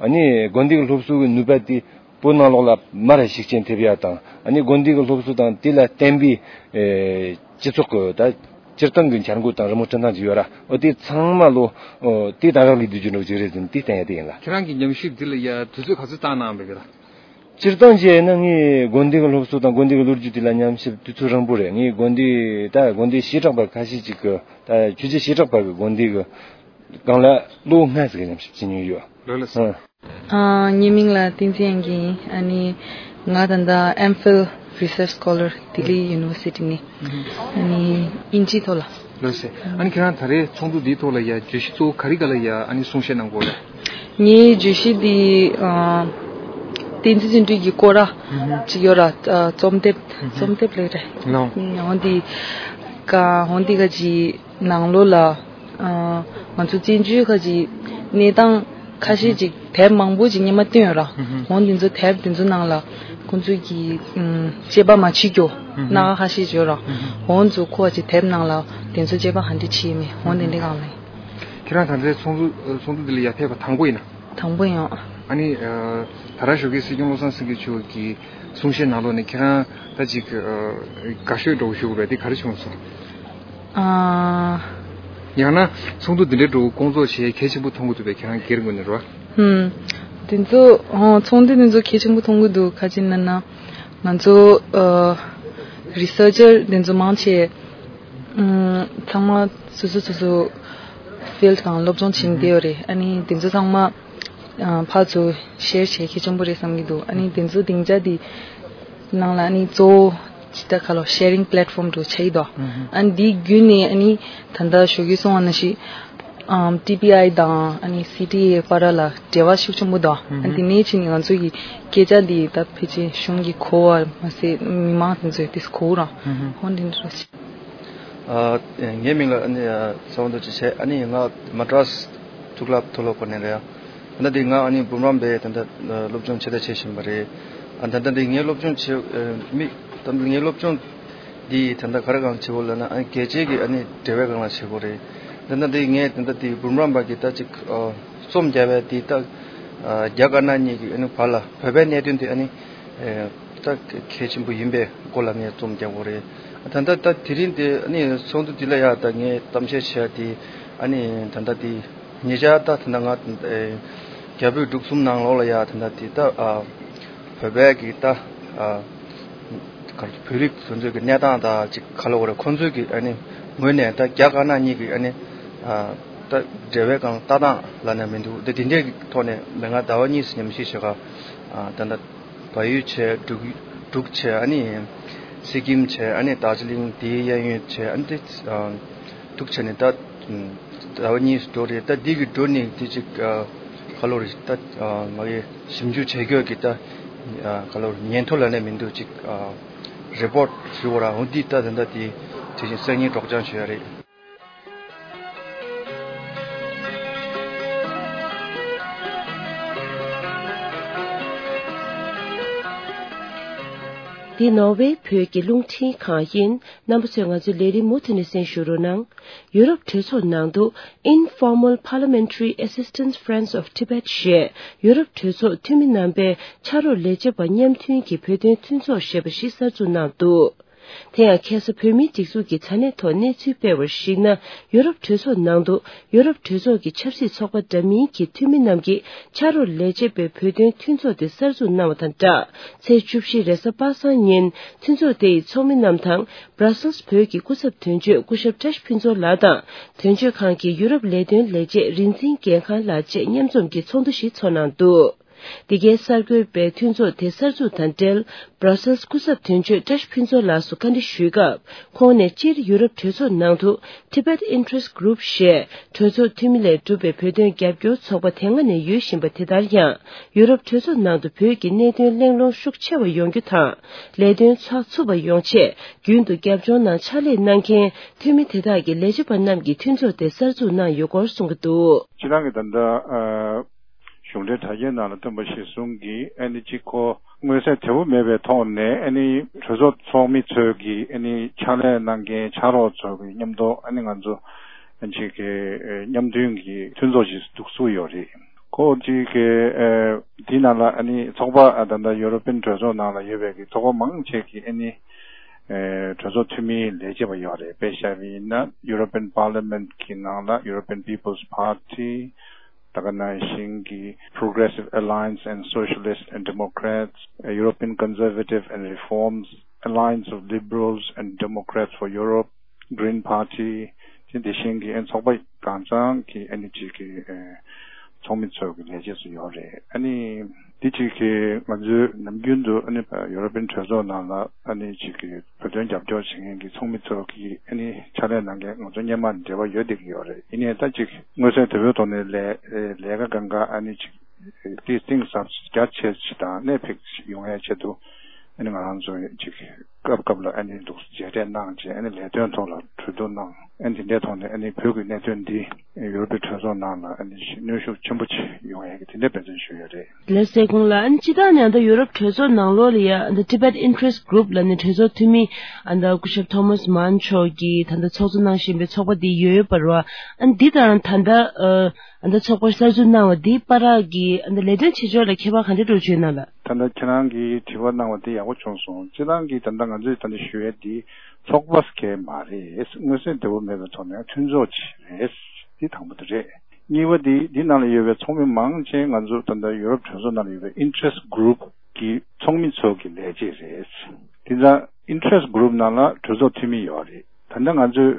ཨ་ནི་དགོན་སྡེ་གི་སློབ་གསོ་གི་ནུས་པ་དེ་བོད་ནང་ལོགས་ལ་མར་ཤུགས་རྐྱེན་ཐེབས་ཡ་དང་། ཨ་ནི་དགོན་སྡེ་གི་སློབ་གསོ་དང་དེ་ལ་བརྟེན་པའི་ཨེ་སྤྱི་ཚོགས་ཀྱི་ད་སྤྱིར་བཏང་གི་འཆར་འགོད་དང་རི་མོ་སྤྲིན་ཐང་ཅིག་ཡོད་ར། འོ་དེ་ཚང་མ་ལོ་འོ་དེ་ད་རག་ལས་བསྡུ་རྒྱུ་འདྲ་བོ་ཅིག་རེད་ཟེར་ནས་དེ་བསྟན་ཡ་དེ་ཡིན་ལ། ཁྱེད་རང་གི་ཉམས་ཞིབ་འདི་ལ་ཡ་དུས་ཚོད་ག་ཚོད་བཏང་གནང་བས་གི་ལ། སྤྱིར་བཏང་བྱས་ན་ངས་དགོན་སྡེ་གི་སློབ་གསོ་དང་དགོན་སྡེ་གི་ལོ་རྒྱུས་དེ་ལ་ཉམས་ཞིབ་དུས་ཚོད་རིང་པོ་རེད། ངས་དགོན་སྡེ་ད་དགོན་སྡེ་བྱེ་བྲག་པ་ཁ་ཤས་ཅིག་གི་ད་ཆོས་བརྒྱུད་བྱེ་བྲག་པ་གི་དགོན་སྡེ་གི་སྒང་ལ་ལོ་ལྔ་ཟིག་ཉམས་ཞིབ་བྱེད་མྱོང་ཡོད། ལགས་ལགས་སོ། ཨ། ངའི་མིང་ལ་བསྟན་འཛིན་དབྱངས་སྐྱིད་ཡིན། ཨ་ནི་ང་ད་ལྟ་ཨེམ་ཕིལ་རི་སར་ཆི་སྐོ་ལར་ལྡི་ལི་ཡུ་ནི་ཝར་སི་ཊི་ནས། ཨ་ནི་དབྱིན་ཇིའི་ཐོག་ལ། ལགས་སོ། ཨ་ནི་ཁྱེད་རང་ད་རེས་ཚོགས་འདུ་འདིའི་ཐོག་ལ་ཡ་བརྗོད་གཞི་གཙོ་བོ་ག་རེ་ག་ལ་ཡ་ཨ་ནི་གསུང་བཤད་གནང་དགོས་རེད། ངའི་བརྗོད་གཞི་འདི་ཨ། བསྟན་འཛིན་བརྩོན་འགྲུས་ཀྱི་སྐོར་ར་ཅིག་ཡོད་ར། ཨ། རྩོམ་དེབ། རྩོམ་དེབ་ལས་རེད། ལགས། འོ་འདི་ཀ་འོ་འདི་ག་ཅིག་ནང་ལོགས་ལ། ཨ། ང་ཚོ་བཙན་བྱོལ་ཁ་ཅིག་གནས་སྟངས་ཁ་ཤས་ཅིག་དེབ་མང་པོ་ཅིག་སྔོན་མ་བཏོན་ཡོད་ར། འོ་འདི་ཚོ་དེབ་འདི་ཚོ་ནང་ལ་ཁོང་ཚོས་ཀྱི་ཨམ། དཔྱད་པ་མ་བྱེད་རྒྱུ་སྣ་ཁ་ཁ་ཤས་ཅིག་ཡོད་ར། འོ་ཚོ་ཁོ་ཅིག་དེབ་ནང་ལ་དེ་ཚོ་དཔྱད་པ་ག་འདྲ་བྱེད་མེད་འོ་དེ་འདྲ་གང་ལ། ཁྱེད་རང་ད་ལྟའི་ཚོགས་འདུ་ཚོགས་འདུ་འདི་ལ་ཡར་ཕེབས་པ་དང་པོ་ཡིན་ན། དང་པོ་ཡིན། ཨ་ནི་ད་རང་ཞོགས་ཀས་སྲིད་སྐྱོང་བློ་བཟང་སེང་གེ་མཆོག་གི་གསུང་བཤད་ནང་ལོགས་ནས་ཁྱེད་རང་ད་ཅིག་དགའ་ཤོས་འདྲ་བོ་ཞུ་དགོས་པ་དེ་ག་རེ་བྱུང་སོང་། ཨ། ཡང་ན་ཚོགས་འདུ་འདི་འདྲའི་འགྲོ་སྐོང་ཚོགས་བྱེད་གལ་ཆེན་པོ་མཐོང་གི་འདུག་པས། ཁྱེད་རང་སྒེར་ངོས་ནས་རེད་བ། ཧུམ། དེ་ཚོ་ཨོ་ཚོགས་འདུ་དེ་ཚོ་གལ་ཆེན་པོ་མཐོང་གི་འདུག་ག་ཅི་ན་ན་ང་ཚོ་ཨ་རི་སར་ཅར་དེ་ཚོ་མང་ཆེ་ཨམ་ཚང་མ་སོ་སོ་སོ་སོ་ཕིལ་དང་སློབ་སྦྱོང་བྱེད་བསྡད་ཡོད་རེད། ཨ་ནི་དེ་ཚོ་ཚང་མ་ཨ་ཕར་ཚུར་ཤེར་བྱེད་གལ་ཆེན་པོ་རེད་བསམ་གྱི་འདུག་ཨ་ནི་དེ་ཚོ་སྡིངས་ཆ་དེ་ནང་ལ་ཨ་ནི་གཙོ་བོ་ཇི་ལྟར་ཁ་ལོ་ཤེ་རིང་པི་ལེ་ཊི་ཕོམ་འདྲ་ཆགས་ཀྱི་འདུག་ཨ་ནི་འདིའི་བརྒྱུད་ནས་ཨ་ནི་ད་ལྟ་ཞོགས་ཀྱི་གསུངས་པ་ནང་བཞིན་ཨམ་ཊི་པི་ཨའི་དང་ཨ་ནི་སི་ཊི་ཨེ་བར་ལ་འབྲེལ་བ་ཤུགས་ཆེན་པོ་འདུག་ཨ་ནི་དེ་ནས་ཕྱིན་ནས་ང་ཚོ་གི་སྐད་ཆ་འདི་ད་ཕལ་ཆེར་གཞུང་གི་གོ་བ་མ་ཟད་མི་མང་དེ་ཚོས་དེ་གོ་རང་ཧོན་དེ་འདྲ་ཞིག་ཨ། ངའི་མིང་ལ་ཨ་ནི་ཨ་ཚེ་དབང་རྡོ་རྗེ་བྱས། ཨ་ནི་ང་མ་ཏྲ་སི་ཐུག་ལབ་མཐོ་སློབ་ཁོ་ནས་རེད། ད་ལྟ་འདི་ང་ཨ་ནི་འབུམ་རམས་པའི་ད་ལྟ་སློབ་སྦྱོང་ཆེ་ད་བྱེད་བཞིན་པ་རེད། ཨ་ད་ལྟ་འདི་ངའི་སློབ་སྦྱོང་བྱེད་མི་ད་ལྟ་ངའི་སློབ་སྦྱོང་འདི་ད་ལྟ་ག་རེ་སྒང་བྱེད་དགོས་ལབ་ན། ཨ་ནི་རྒྱལ་སྤྱིའི་གི་ཨ་ནི་འབྲེལ་བའི་སྒང་ལ་བྱེད་དགོས་རེད། ད་ལྟ་འདི་ངས་ད་ལྟ་འདི་འབུམ་རམས་པ་གི་ད་ཅིག་ཨ་རྩོམ་རྒྱབ་པའི་འདི་ད་ཨ་རྒྱ་དཀར་ནག་གཉིས་ཀྱི་ཨ་ནི་བར་ལ་བོད་པའི་གནད་དོན་དེ་ཨ་ནི་ཨེ་ད་གལ་ཆེན་པོ་ཡིན་པའི་སྐོར་ལ་ངས་རྩོམ་རྒྱག་དགོས་རེད། ད་ལྟ་ད་དེ་རིང་དེ་ཨ་ནི་ཚོགས་འདུ་འདི་ལ་ཡ་ད་ངས་གཏམ་བཤད་བྱས་དེ་ཨ་ནི་ད་ལྟ་དེ་ཉེ་ཆར་ད་ད་ལྟ་ང་ཨེ་རྒྱ་བོད་འབྲུག་གསུམ་ནང་ལོགས་ལ་ཡ་ད་ལྟ་དེ་ད་ཨ་བོད་པའི་གི་ད་ཨ་ག་རེ་བོད་རིགས་དེ་ཚོའི་གི་གནས་སྟངས་དང་ཅིག་ག་ལབ་དགོས་རེད། ཁོང་ཚོའི་གི་ཨ་ནི་ངོས་ནས་ད་རྒྱ་དཀར་ནག་གཉིས་གི་ཨ་ནི་ཨ་ད་འབྲེལ་བའི་སྒང་ལྟ་སྟངས་ལབ་ན་མི་འདུག་ད་དེ་འདྲའི་གི་ཐོག་ནས་མི་ང་ཟླ་བ་གཉིས་སུ་ཉམས་ཞིབ་བྱེད་ག་ཨ་ད་ལྟ་བལ་ཡུལ་བྱས། འབྲུག་འབྲུག་བྱས། ཨ་ནི་སི་ཀིམ་བྱས། ཨ་ནི་རྡོ་རྗེ་གླིང་དེའི་གཡས་གཡོན་བྱས། ཨ་ནི་དེ་ཨ་འབྲུག་བྱས་ནས་ད་ཟླ་བ་གཉིས་སུ་འགྲོ་རེད། ད་འདི་གི་འགྲོ་ནས་དེ་ཅིག་ཨ་ག་ལབ་དགོས་རེད། ད་ཨ་ང་གི་ཞིབ་འཇུག་བྱེད་རྒྱུ་གི་ད་ཨ་ག་ལབ་དགོས་རེད། ཉིན་ཐོ་ལབ་ན་མི་འདུག་ཅིག་ཨ་རི་པོར་ཊི་ཞུ་བ་ར། འོ་འདི་ད་ད་ལྟ་དེ་དེ་བཞིན་སང་ཉིན་སྒྲོག་སྦྱང་ཞུ་ཡ་རེད། འདི་ནོར་ཝེ་བོད་ཀྱི་རླུང་འཕྲིན་ཁང་ཡིན། རྣམ་པ་ཚོས་ང་ཚོའི་ལས་རིམ་མུ་མཐུད་ནས་གསན་ཞུ་རོགས་གནང་། ཡུ་རོབ་གྲོས་ཚོགས་ནང་དུ་Informal Parliamentary Assistance Friends of Tibet ཞེས་ཡུ་རོབ་གྲོས་ཚོགས་འཐུས་མི་རྣམ་པའི་ཕྱག་རོགས་ལས་བྱེད་པ་མཉམ་མཐུན་གྱི་བོད་དོན་མཐུན་ཚོགས་ཞེས་པ་ཞིག་གསར་འཛུགས་གནང་འདུག་དེ་ཡང་ཁ་སང་བོད་མིའི་སྒྲིག་འཛུགས་ཀྱི་དྲ་གནས་ཐོག་གནས་ཚུལ་སྤེལ་བར་གཞིགས་ན། ཡུ་རོབ་གྲོས་ཚོགས་ནང་དུ་ཡུ་རོབ་གྲོས་ཚོགས་ཀྱི་ཆབ་སྲིད་ཚོགས་པ་འདྲ་མིན་གྱི་འཐུས་མི་རྣམས་ཀྱིས་ཕྱག་རོགས་ལས་བྱེད་པའི་བོད་དོན་མཐུན་ཚོགས་དེ་གསར་འཛུགས་གནང་བ་དང་སྦྲགས། ཚེས་བཅུ་བཞི་རེས་གཟའ་པ་སངས་ཉིན་མཐུན་ཚོགས་དེ་ཡི་ཚོགས་མི་རྣམས་དང་། སྦྲ་སེལ་བོད་ཀྱི་སྐུ་ཚབ་དོན་གཅོད་སྐུ་ཞབས་བཀྲ་ཤིས་ཕུན་ཚོགས་ལགས་དང་། དོན་གཅོད་ཁང་གི་ཡུ་རོབ་ལས་དོན་ལས་བྱེད་རིག་འཛིན་རྒྱལ་ཁང་ལགས་བཅས་མཉམ་འཛོམས་ཀྱིས་ཚོགས་འདུ་ཞིག་ཚོགས་གནང་འདུག་འདི་གའི་གསར་འགོད་པས་མཐུན་ཚོགས་དེ་གསར་འཛུགས་དང་འབྲེལ། སྦྲ་སེལ་སྐུ་ཚབ་དོན་གཅོད་བཀྲ་ཤིས་ཕུན་ཚོགས་ལགས་སུ་བཀའ་འདྲི་ཞུས་སྐབས། ཁོང་ནས་སྤྱིར་ཡུ་རོབ་གྲོས་ཚོགས་ནང་དུ་Tibet Interest Group ཞེས་གྲོས་ཚོགས་འཐུས་མི་ལས་གྲུབ་པའི་བོད་དོན་རྒྱབ་སྐྱོར་ཚོགས་པ་དེ་སྔ་ནས་ཡོད་བཞིན་པ་དེ་ལྟར་ཡང་། ཡུ་རོབ་གྲོས་ཚོགས་ནང་དུ་བོད་ཀྱི་གནད་དོན་གླེང་སློང་ཤུགས་ཆེ་བ་ཡོང་རྒྱུ་དང་། ལས་དོན་ཚགས་ཚུད་པ་ཡོང་ཆེད་རྒྱུན་དུ་རྒྱབ་ལྗོངས་ནང་ཕྱག་ལས་གནང་མཁན་འཐུས་མི་དེ་དག་གི་ལས་བྱེད་པ་རྣམས་ཀྱིས་མཐུན་ཚོགས་དེ་གསར་འཛུགས་གནང་ཡོད་སྐོར་གསུང་གི་འདུག་སྤྱིར་བཏང་གི་ད་ལྟ་ཨ། གཞུང་འབྲེལ་དྲ་རྒྱའི་ནང་ལ་ཐོན་པ་གཞིར་བཟུང་གིས་ཨ་ནི་གཅིག་ཁོ་མངོན་གསལ་དོད་པོ་མེད་པའི་ཐོག་ནས་ཨ་ནི་གྲོས་ཚོགས་ཚོགས་མི་ཚོས་ཀྱིས་ཨ་ནི་ཕྱག་ལས་གནང་མཁན་ཕྱག་རོགས་ཚོ་གི་མཉམ་དུ་ཨ་ནི་ང་ཚོ་ཨ་ཅིག་གི་མཉམ་མཐུན་གྱི་མཐུན་ཚོགས་ཤིག་འདུག་བཟོས་ཡོད་རེད། ཁོ་གཅིག་གི་ཨ་འདི་ནང་ལ་ཨ་ནི་ཚོགས་པ་ཨ་ད་ལྟ་ཡུ་རོ་པན་གྲོས་ཚོགས་ནང་ལ་ཡོད་པའི་གི་ཚོགས་པ་མང་ཆེ་གིས་ཨ་ནི་ཨ་གྲོས་ཚོགས་འཐུས་མིའི་ལས་བྱེད་པ་ཡོད་རེད། དཔེ་བཞག་པ་ཡིན་ན་European Parliament གི་ནང་ལ་European People's Party། ད་ག་ནང་བཞིན་གྱི་Progressive Alliance and Socialists and Democrats, European Conservative and Reforms, Alliance of Liberals and Democrats for Europe, Green Party དེ་དེ་བཞིན་གྱི་ཨ་ཚོགས་པ་གང་ཚང་གི་ཨ་ནི་གཅིག་གི་ཨ་ཚོགས་མི་ཚོ་གི་ལས་བྱེད་ཚོ་ཡོད་རེད། ཨ་ནི་དེ་གཅིག་གི་ང་ཚོའི་ནམ་རྒྱུན་དུ་ཨ་ནི་ཡུ་རོ་པན་གྲོས་ཚོགས་ནང་ལ་ཨ་ནི་གཅིག་གི་བོད་དོན་རྒྱབ་སྐྱོར་བྱེད་མཁན་གྱི་ཚོགས་མི་ཚོ་གིས་ཨ་ནི་ཕྱག་ལས་གནང་མཁན་ང་ཚོ་སྔོན་མ་ནས་འབྲེལ་བ་ཡོད་བསྡད་ཀྱི་ཡོད་རེད། ཡིན་ནའི་ད་ཅིག་མངོན་གསལ་དོད་པོའི་ཐོག་ནས་ལས་ལས་ཀ་གང་ག་ཨ་ནི་ཅིག་ཏིས་གཏིང་ཟབ་རྒྱ་ཆེ་ཞིག་དང་གནད་འཕིགས་ཤིག་ཡོང་ཡའི་ཆེད་དུ་ཨ་ནི་ང་རང་ཚོ་ཅིག་སྐབས་སྐབས་ལ་ཨ་ནི་འདུག་མཇལ་འཕྲད་གནང་བྱས་ཨ་ནི་ལས་དོན་ཐོག་ལ་གྲོས་བསྡུར་གནང་ཨ་ནི་དེ་འདྲའི་ཐོག་ནས་ཨ་ནི་བོད་ཀྱི་གནད་དོན་འདི་ཡུ་རོབ་པའི་གྲོས་ཚོགས་ནང་ལ་ཨ་ནི་གནོན་ཤུགས་ཆེན་པོ་ཅིག་ཡོང་ཡ་གི་དེ་འདྲའི་འབད་བརྩོན་ཞུ་ཡ་རེད། ལགས་སོ། ཁོང་ལ་ཨ་ནི་སྤྱིར་བཏང་ནས་ད་ཡུ་རོབ་གྲོས་ཚོགས་ནང་ལོགས་ལ་ཡ་ད་Tibet Interest Group ལབ་ནས་གྲོས་ཚོགས་འཐུས་མི་ཨ་ད་སྐུ་ཞབས་Thomas Mann མཆོག་གིས་ད་ལྟ་ཚོགས་གཙོ་གནང་བཞིན་པའི་ཚོགས་པ་འདི་ཡོད་པ་རེད་བ། ཨ་ནི་འདི་དང་ད་ལྟ་ཨ་ད་ཚོགས་པ་གསར་འཛུགས་གནང་བ་འདི་བར་གྱི་ཨ་ད་ལས་དོན་བྱེད་ཕྱོགས་ལ་ཁྱད་པར་ག་འདྲ་འགྲོ་བྱུང་ན་ལ། ད་ལྟ་ཁྱེད་རང་གིས་དྲི་བ་གནང་བ་འདི་ཡག་པོ་བྱུང་སོང་། སྤྱིར་བཏང་གི་ད་ལྟ་ང་ ང་ཚོས་ད་ལྟ་ཞུ་ཡས་འདི་ཚོགས་པ་ཟེར་མཁན་མ་རེད། མངོན་གསལ་དོད་པོ་མེད་པའི་ཐོག་ནས་མཐུན་ཚོགས་ཅིག་རེད། འདི་དང་པོ་དེ་རེད། གཉིས་པ་འདི་འདི་ནང་ལ་ཡོད་པའི་ཚོགས་མི་མང་ཆེ་ང་ཚོ་ད་ལྟ་ཡུ་རོབ་གྲོས་ཚོགས་ནང་ལ་ཡོད་པའི་interest group གི་ཚོགས་མི་ཚོ་གི་ལས་བྱེད་རེད། དེ་ཙང་interest group ནང་ལ་གྲོས་ཚོགས་འཐུས་མི་ཡོད་རེད། ད་ལྟ་ང་ཚོའི་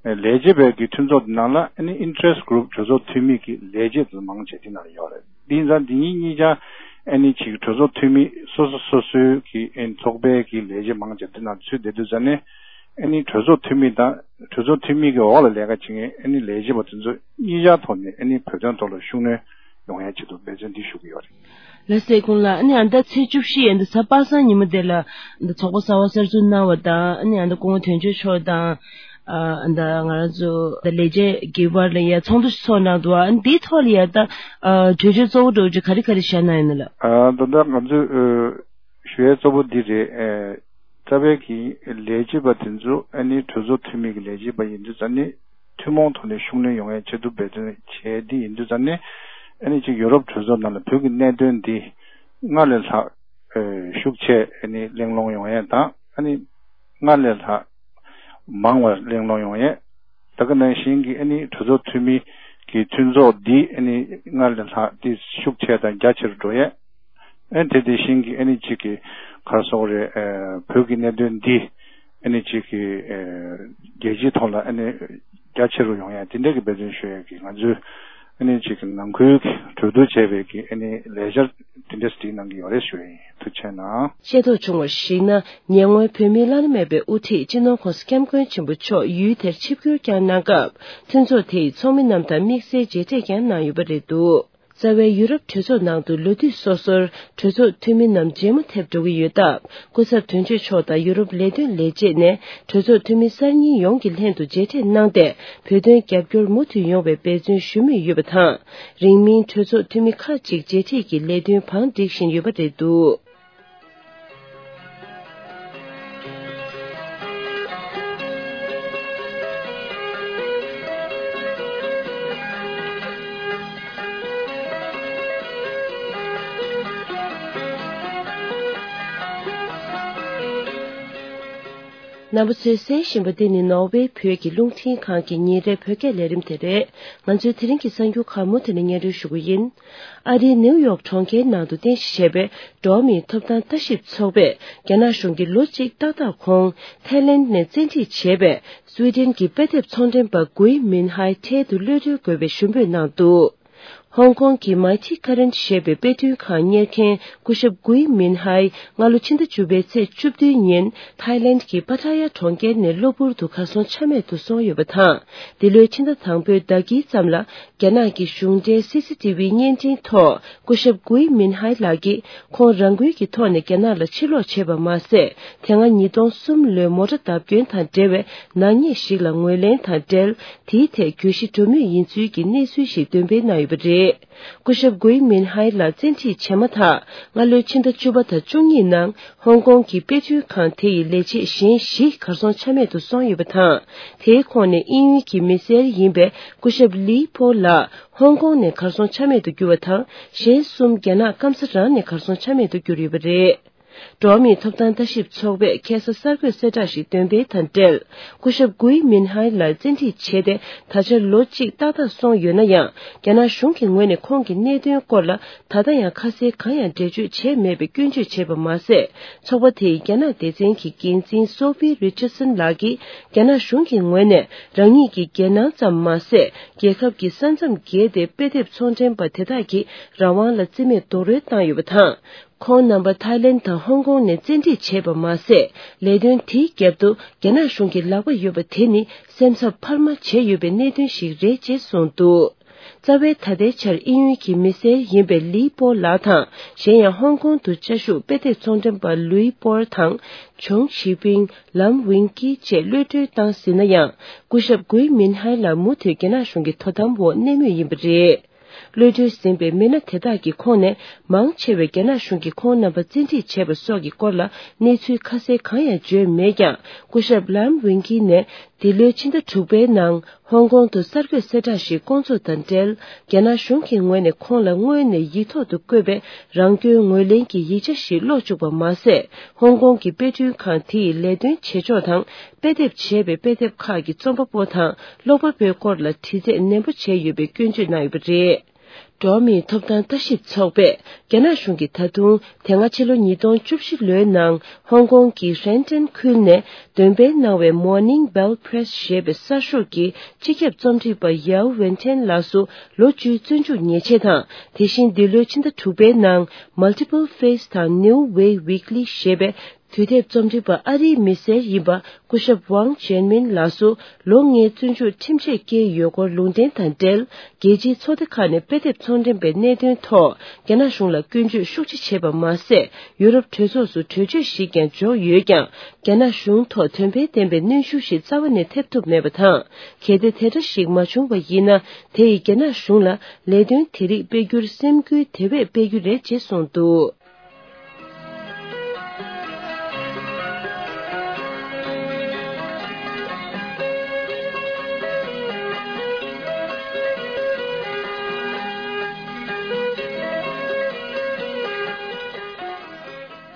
ཨ་ལས་བྱེད་པའི་གི་མཐུན་ཚོགས་དེ་ནང་ལ་ཨ་ནི་interest group གྲོས་ཚོགས་འཐུས་མི་གི་ལས་བྱེད་དེ་མང་ཆེ་དེ་ནང་ལ་ཡོད་རེད། དེ་ཡིན་ཙང་འདི་གཉིས་གཉིས་ཀ་ཨ་ནི་ཅིག་གྲོས་ཚོགས་འཐུས་མི་སོ་སོ་སོ་སོའི་གི་ཨ་ནི་ཚོགས་པའི་གི་ལས་བྱེད་མང་ཆེ་དེ་ནང་ཚུད་བསྡད་དུས་ཙང་ནས་ཨ་ནི་གྲོས་ཚོགས་འཐུས་མི་དང་གྲོས་ཚོགས་འཐུས་མི་གི་འོག་ལ་ལས་ཀ་བྱེད་མཁན་ཨ་ནི་ལས་བྱེད་པ་དེ་ཚོ་གཉིས་ཆར་ཐོག་ནས་ཨ་ནི་བོད་དོན་ཐོག་ལ་ཤུགས་སྣོན་ཡོང་ཡའི་ཆེད་དུ་འབད་བརྩོན་འདི་ཞུ་གི་ཡོད་རེད། ལགས་སོ། ཁོང་ལ་ཨ་ནི་ཨ་ད་ཚེས་བཅུ་བཞི་ཡན་དུ་གཟའ་པ་སངས་ཉིན་མོ་དེ་ལ་ཨ་ད་ཚོགས་པ་གསར་བ་གསར་འཛུགས་གནང་བ་དང་ཨ་ནི་ཨ་ད་སྐུ་ངོ་དོན་གཅོད་མཆོག་དང་ཨ་ད་ང་རང་ཚོ་ད་ལས་བྱེད་ཀྱི་བར་ལ་ཡ་ཚོགས་འདུ་ཞིག་ཚོགས་གནང་འདུག་ཨ་ནི་འདིའི་ཐོག་ལ་ཡ་ད་ཨ་གྲོས་ཆོད་གཙོ་བོ་འདྲ་བོ་ཅིག་ག་རེ་ག་རེ་བཞག་གནང་ཡོད་ན་ལགས། ཨ་ད་ལྟ་ང་ཚོས་ཨ་ཞུ་ཡས་གཙོ་བོ་འདི་རེད། ཨ་རྩ་བའི་གི་ལས་བྱེད་པ་དེ་ཚོ་ཨ་ནི་གྲོས་ཚོགས་འཐུས་མི་གི་ལས་བྱེད་པ་ཡིན་དུས་ཙང་ནི་ཐུན་མོང་ཐོག་ནས་ཤུགས་སྣོན་ཡོང་ཡའི་ཆེད་དུ་འབད་བརྩོན་བྱས་འདི་ཡིན་དུས་ཙང་ནི་ཨ་ནི་ཅིག་ཡོ་རོབ་གྲོས་ཚོགས་ནང་ལ་བོད་ཀྱི་གནད་དོན་འདི་སྔར་ལས་ལྷག་ཨ་ཤུགས་ཆེ་ཨ་ནི་གླེང་སློང་ཡོང་ཡས་དང་ཨ་ནི་སྔར་ལས་ལྷག་མང་བ་གླེང་སློང་ཡོང་ཡས། ད་ག་ནང་བཞིན་གྱི་ཨ་ནི་གྲོས་ཚོགས་འཐུས་མི་གི་མཐུན་ཚོགས་འདི་ཨ་ནི་སྔར་ལས་ལྷག་འདི་ཤུགས་ཆེ་དང་རྒྱ་ཆེ་རུ་འགྲོ་ཡས། ཨ་ནི་དེ་དེ་བཞིན་གྱི་ཨ་ནི་གཅིག་གི་ག་རེ་ཟེར་དགོས་རེད། ཨ་བོད་ཀྱི་གནད་དོན་འདི་ཨ་ནི་གཅིག་གི་ཨ་རྒྱལ་སྤྱིའི་ཐོག་ལ་ཨ་ནི་རྒྱ་ཆེ་རུ་ཡོང་ཡས་དེ་འདྲ་གི་འབད་བརྩོན་ཞུ་ཡས་ཀྱི་ང་ཚོའི་ཨ་ནི་གཅིག་གི་ནང་ཁུལ་གྱི་གྲོས་བསྡུར་བྱས་པའི་གི་ཨ་ནི་ལས་འཆར་དེ་འདྲ་སྒྲིག་གནང་གི་ཡོད་རེད་ཞུ་ཡས་ཡིན། ཐུགས་རྗེ་གནང་། ཤེས་རྟོགས་བྱུང་བར་གཞིགས་ན། ཉེ་སྔོན་བོད་མིའི་བླ་ན་མེད་པའི་དབུ་ཁྲིད་སྤྱི་ནོར་༸གོང་ས་༸སྐྱབས་མགོན་ཆེན་པོ་མཆོག་ཡུལ་དེར་ཆིབས་བསྒྱུར་བསྐྱངས་གནང་སྐབས། མཐུན་ཚོགས་དེ་ཡི་ཚོགས་མི་རྣམས་དང་དམིགས་བསལ་མཇལ་འཕྲད་ཀྱང་གནང་ཡོད་པ་རེད་འདུག་རྩ་བའི་ཡུ་རོབ་གྲོས་ཚོགས་ནང་དུ་ལོ་དུས་སོ་སོར་གྲོས་ཚོགས་འཐུས་མི་རྣམས་མཇལ་མོ་ཐེབས་འགྲོ་གི་ཡོད་སྟབས། སྐུ་ཚབ་དོན་གཅོད་མཆོག་དང་ཡུ་རོབ་ལས་དོན་ལས་བྱེད་ནས་གྲོས་ཚོགས་འཐུས་མི་གསར་རྙིང་ཡོངས་ཀྱི་ལྷན་དུ་མཇལ་འཕྲད་གནང་སྟེ། བོད་དོན་རྒྱབ་སྐྱོར་མུ་མཐུད་ཡོང་བའི་འབད་བརྩོན་ཞུ་མུས་ཡོད་པ་དང་། རིང་མིན་གྲོས་ཚོགས་འཐུས་མི་ཁག་ཅིག་མཇལ་འཕྲད་ཀྱི་ལས་དོན་བང་བསྒྲིགས་བཞིན་ཡོད་པ་རེད་འདུག་རྣམ་པ་ཚོས་གསན་བཞིན་པ་འདི་ནི་ནོར་ཝེ་བོད་ཀྱི་རླུང་འཕྲིན་ཁང་གི་ཉིན་རེའི་བོད་སྐད་ལས་རིམ་དེ་རེད། ང་ཚོའི་དེ་རིང་གི་གསར་འགྱུར་ཁག་མུ་མཐུད་ནས་སྙན་སྒྲོན་ཞུ་གི་ཡིན། ཨ་རིའི་ནེའུ་ཡོག་གྲོང་ཁྱེར་ནང་དུ་རྟེན་གཞི་བྱས་པའི་འགྲོ་བ་མིའི་ཐོབ་ཐང་ལྟ་ཞིབ་ཚོགས་པས། རྒྱ་ནག་གཞུང་གིས་ལོ་གཅིག་ཏག་ཏག་གོང་ཐའི་ལེནྜ་ནས་བཙན་ཁྲིད་བྱས་པའི་སུའེ་ཏེན་གྱི་དཔེ་དེབ་ཚོང་འབྲེལ་པ་གུའི་མིན་ཧའེ་འཕྲལ་དུ་གློད་གྲོལ་དགོས་པའི་ཞུ་འབོད་གནང་འདུག་ཧོང་ཀོང་གི་མའི་ཊི་ཀ་རན་ཞེས་པའི་དཔེ་སྐྲུན་ཁང་གཉེར་མཁན་སྐུ་ཞབས་གུའི་མིན་ཧའེ་སྔ་ལོ་ཕྱི་ཟླ་བཅུ་པའི་ཚེས་བཅུ་བདུན་ཉིན་ཐའི་ལེནྜ་ཀྱི་པ་ཐ་ཡ་གྲོང་ཁྱེར་ནས་གློ་བུར་དུ་གར་སོང་ཆ་མེད་དུ་སོང་ཡོད་པ་དང་། འདི་ལོའི་ཕྱི་ཟླ་དང་པོའི་ཟླ་དཀྱིལ་ཙམ་ལ་རྒྱ་ནག་གི་གཞུང་འབྲེལ་སི་སི་ཊི་ཝི་བརྙན་འཕྲིན་ཐོག་སྐུ་ཞབས་གུའི་མིན་ཧའེ་ལགས་ཀྱིས་ཁོང་རང་འགུལ་གྱི་ཐོག་ནས་རྒྱ་ནག་ལ་ཕྱིར་ལོག་བྱས་པ་མ་ཟད། དེ་སྔ་ཉིས་སྟོང་གསུམ་ལོའི་མོ་ཊ་བརྡབ་སྐྱོན་དང་འབྲེལ་བའི་ནག་ཉེས་ཤིག་ལ་ངོས་ལེན་དང་འབྲེལ། དེའི་ཐད་གྱོད་གཞི་འགྲོ་མུས་ཡིན་ཚུལ་གྱི་གནས་ཚུལ་ཞིག་འདོན་སྤེལ་གནང་ཡོད་པ་རེད། སྐུ་ཞབས་གུའི་མིན་ཧའེ་ལ་བཙན་ཁྲིད་བྱས་མ་ཐག་སྔ་ལོའི་ཕྱི་ཟླ་བཅུ་པ་དང་བཅུ་གཉིས་ནང་ཧོང་ཀོང་གི་དཔེ་སྐྲུན་ཁང་དེ་ཡི་ལས་བྱེད་གཞན་བཞི་གར་སོང་ཆ་མེད་དུ་སོང་ཡོད་པ་དང་། དེའི་ཁོངས་ནས་དབྱིན་ཡུལ་གྱི་མི་སེར་ཡིན་པའི་སྐུ་ཞབས་ལི་པོ་ལགས་ཧོང་ཀོང་ནས་གར་སོང་ཆ་མེད་དུ་གྱུར་བ་དང་། གཞན་གསུམ་རྒྱ་ནག་སྐམ་ས་རང་ནས་གར་སོང་ཆ་མེད་དུ་གྱུར་ཡོད་པ་རེད། འགྲོ་བ་མིའི་ཐོབ་ཐང་ལྟ་ཞིབ་ཚོགས་པས་ཁ་སང་གསར་འགོད་གསལ་བསྒྲགས་ཤིག་འདོན་སྤེལ་དང་འབྲེལ། སྐུ་ཞབས་གུའི་མིན་ཧའེ་ལ་བཙན་ཁྲིད་བྱས་ཏེ། ད་ཆ་ལོ་གཅིག་ཏག་ཏག་སོང་ཡོད་ན་ཡང་། རྒྱ་ནག་གཞུང་གི་ངོས་ནས་ཁོང་གི་གནད་དོན་སྐོར་ལ་ད་ལྟ་ཡང་ཁ་གསལ་གང་ཡང་འགྲེལ་བརྗོད་བྱས་མེད་པའི་སྐྱོན་བརྗོད་བྱས་པ་མ་ཟད། ཚོགས་པ་དེས་རྒྱ་ནག་སྡེ་ཚན་གྱི་འགན་འཛིན་སོ་ཕི་རི་ཆར་སན་ལགས་ཀྱིས། རྒྱ་ནག་གཞུང་གི་ངོས་ནས་རང་ཉིད་ཀྱི་འགན་སྣང་ཙམ་མ་ཟད། རྒྱལ་ཁབ་ཀྱི་ས་མཚམས་བརྒལ་ཏེ་དཔེ་དེབ་ཚོང་འདྲེན་པ་དེ་དག་གི་རང་དབང་ལ་བརྩི་མེད་རྡོག་རོལ་བཏང་ཡོད་པ་དང་། ཁོང་རྣམ་པ་ཐའི་ལེན་དང་ཧོང་ཀོང་ནས་བཙན་ཁྲིད་བྱས་པ་མ་ཟད། ལས་དོན་དེའི་རྒྱབ་ཏུ་རྒྱ་ནག་གཞུང་གི་ལག་པ་ཡོད་པ་དེ་ནི་སེམས་འཚབ་འཕར་མ་བྱས་ཡོད་པའི་གནད་དོན་ཞིག་རེད་ཅེས་གསུངས་འདུག་རྩ་བའི་ད་ལྟའི་ཆར་དབྱིན་ཡུལ་གྱི་མི་སེར་ཡིན་པའི་ལི་པོ་ལགས་དང་། གཞན་ཡང་ཧོང་ཀོང་དུ་བཅའ་བཞུགས་དཔེ་དེབ་ཚོང་འདྲེན་པ་ལུའི་པོར་དང་། ཆུང་ཞི་པིང་། ལམ་ཝིང་ཀི་བཅས་གློད་གྲོལ་བཏང་ཟིན་ན་ཡང་། སྐུ་ཞབས་གུའི་མིན་ཧའེ་ལགས་མུ་མཐུད་རྒྱ་ནག་གཞུང་གི་དོ་དམ་འོག་གནས་མུས་ཡིན་པ་རེད། གློད་གྲོལ་ཟིན་པའི་མི་སྣ་དེ་དག་གི་ཁོངས་ནས་མང་ཆེ་བས་རྒྱ་ནག་གཞུང་གིས་ཁོང་རྣམ་པ་བཙན་ཁྲིད་བྱས་པ་སོགས་ཀྱི་སྐོར་ལ་གནས་ཚུལ་ཁ་གསལ་གང་ཡང་བརྗོད་མེད་ཀྱང་། སྐུ་ཞབས་ལམ་ཝིང་ཀི་ནས་ འདི་ལོའི་ཕྱི་ཟླ་དྲུག་པའི་ནང་ཧོང་ཀོང་དུ་གསར་འགོད་གསལ་བསྒྲགས་ཤིག་བསྐོང་ཚོགས་དང་འབྲེལ། རྒྱ་ནག་གཞུང་གི་ངོས་ནས་ཁོང་ལ་སྔོན་ནས་ཡིག་ཐོག་ཏུ་བཀོད་པའི་རང་སྐྱོན་ངོས་ལེན་གྱི་ཡིག་ཆ་ཞིག་ཀློག་བཅུག་པ་མ་ཟད། ཧོང་ཀོང་གི་དཔེ་སྐྲུན་ཁང་དེ་ཡི་ལས་དོན་བྱེད་ཕྱོགས་དང་། དཔེ་དེབ་བྱས་པའི་དཔེ་དེབ་ཁག་གི་རྩོམ་པ་པོ་དང་ཀློག་པ་པོའི་སྐོར་ལ་དྲི་རྩད་ནན་པོ་བྱས་ཡོད་པའི་སྐྱོན་བརྗོད་གནང་ཡོད་པ་རེད། འགྲོ་བ་མིའི་ཐོབ་ཐང་ལྟ་ཞིབ་ཚོགས་པས་རྒྱ་ནག་གཞུང་གིས་ད་དུང་དེ་སྔ་ཕྱི་ལོ་ཉིས་སྟོང་བཅུ་བཞི་ལོའི་ནང་ཧོང་ཀོང་གི་ཧྲེན་ཀྲེན་ཁུལ་ནས་འདོན་སྤེལ་གནང་བའི་Morning Bell Press ཞེས་པའི་གསར་ཤོག་གི་སྤྱི་ཁྱབ་རྩོམ་སྒྲིག་པ་ཡའོ་ཝེན་ཐན་ལགས་སུ་ལོ་བཅུའི་བཙོན་འཇུག་ཉེས་ཆད་དང་། དེ་བཞིན་འདི་ལོའི་ཕྱི་ཟླ་དྲུག་པའི་ནང་Multiple Face དང་New Way Weekly ཞེས་པའི་དུས་དེབ་རྩོམ་སྒྲིག་པ་ཨ་རིའི་མི་སེར་ཡིན་པ་སྐུ་ཞབས་ཝང་ཅན་མིན་ལགས་སུ་ལོ་ལྔའི་བཙོན་འཇུག་ཁྲིམས་ཆད་བཀལ་ཡོད་སྐོར་ལུང་འདྲེན་དང་འབྲེལ། རྒྱལ་སྤྱིའི་ཚོགས་སྡེ་ཁག་ནས་དཔེ་དེབ་ཚོང་འགྲེམས་པའི་གནད་དོན་ཐོག་རྒྱ་ནག་གཞུང་ལ་སྐྱོན་བརྗོད་ཤུགས་ཆེ་བྱས་པ་མ་ཟད། ཡུ་རོབ་གྲོས་ཚོགས་སུ་གྲོས་ཆོད་ཞིག་ཀྱང་འཇོག་ཡོད་ཀྱང་། རྒྱ་ནག་གཞུང་ཐོག་དོན་ཕན་ལྡན་པའི་གནོན་ཤུགས་ཤིག་རྩ་བ་ནས་ཐེབས་ཐུབ་མེད་པ་དང་། གལ་ཏེ་དེ་འདྲ་ཞིག་མ་བྱུང་བ་ཡིན་ན། དེ་ཡིས་རྒྱ་ནག་གཞུང་ལ་ལས་དོན་དེ་རིགས་སྤེལ་རྒྱུར་སེམས་འགུལ་དེ་བས་སྤེལ་རྒྱུ་རེད་ཅེས་གསུངས་འདུག།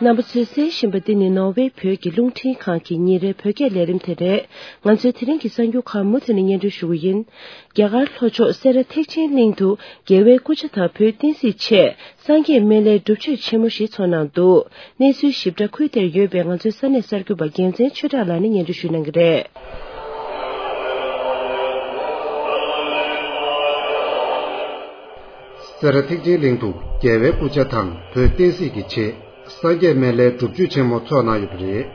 རྣམ་པ་ཚོས་གསན་བཞིན་པ་འདི་ནི་ནོར་ཝེ་བོད་ཀྱི་རླུང་འཕྲིན་ཁང་གི་ཉིན་རེའི་བོད་སྐད་ལས་རིམ་དེ་རེད། ང་ཚོའི་དེ་རིང་གི་གསར་འགྱུར་ཁག་མུ་མཐུད་ནས་སྙན་སྒྲོན་ཞུ་གི་ཡིན། རྒྱ་གར་ལྷོ་ཕྱོགས་སེ་ར་ཐེག་ཆེན་གླིང་དུ་རྒྱལ་བའི་སྐུ་ཕྱྭ་དང་བོད་བསྟན་སྲིད་ཆེད་སངས་རྒྱས་སྨན་བླའི་སྒྲུབ་མཆོད་ཆེན་མོ་ཞིག་ཚོགས་གནང་འདུག། གནས་ཚུལ་ཞིབ་ཕྲ་ཁུལ་དེར་ཡོད་པའི་ང་ཚོའི་ས་གནས་གསར་འགོད་པ་རྒྱལ་མཚན་ཆོས་གྲགས་ལགས་ནས་སྙན་སྒྲོན་ཞུ་གནང་གི་རེད། སེ་ར་ཐེག་ཆེན་གླིང་དུ་རྒྱལ་བའི་སྐུ་ཕྱྭ་དང་བོད་བསྟན་སྲིད་ཀྱི་ཆེད་སངས་རྒྱས་སྨན་བླའི་སྒྲུབ་མཆོད་ཆེན་མོ་ཚོགས་གནང་ཡོད་པ་རེད།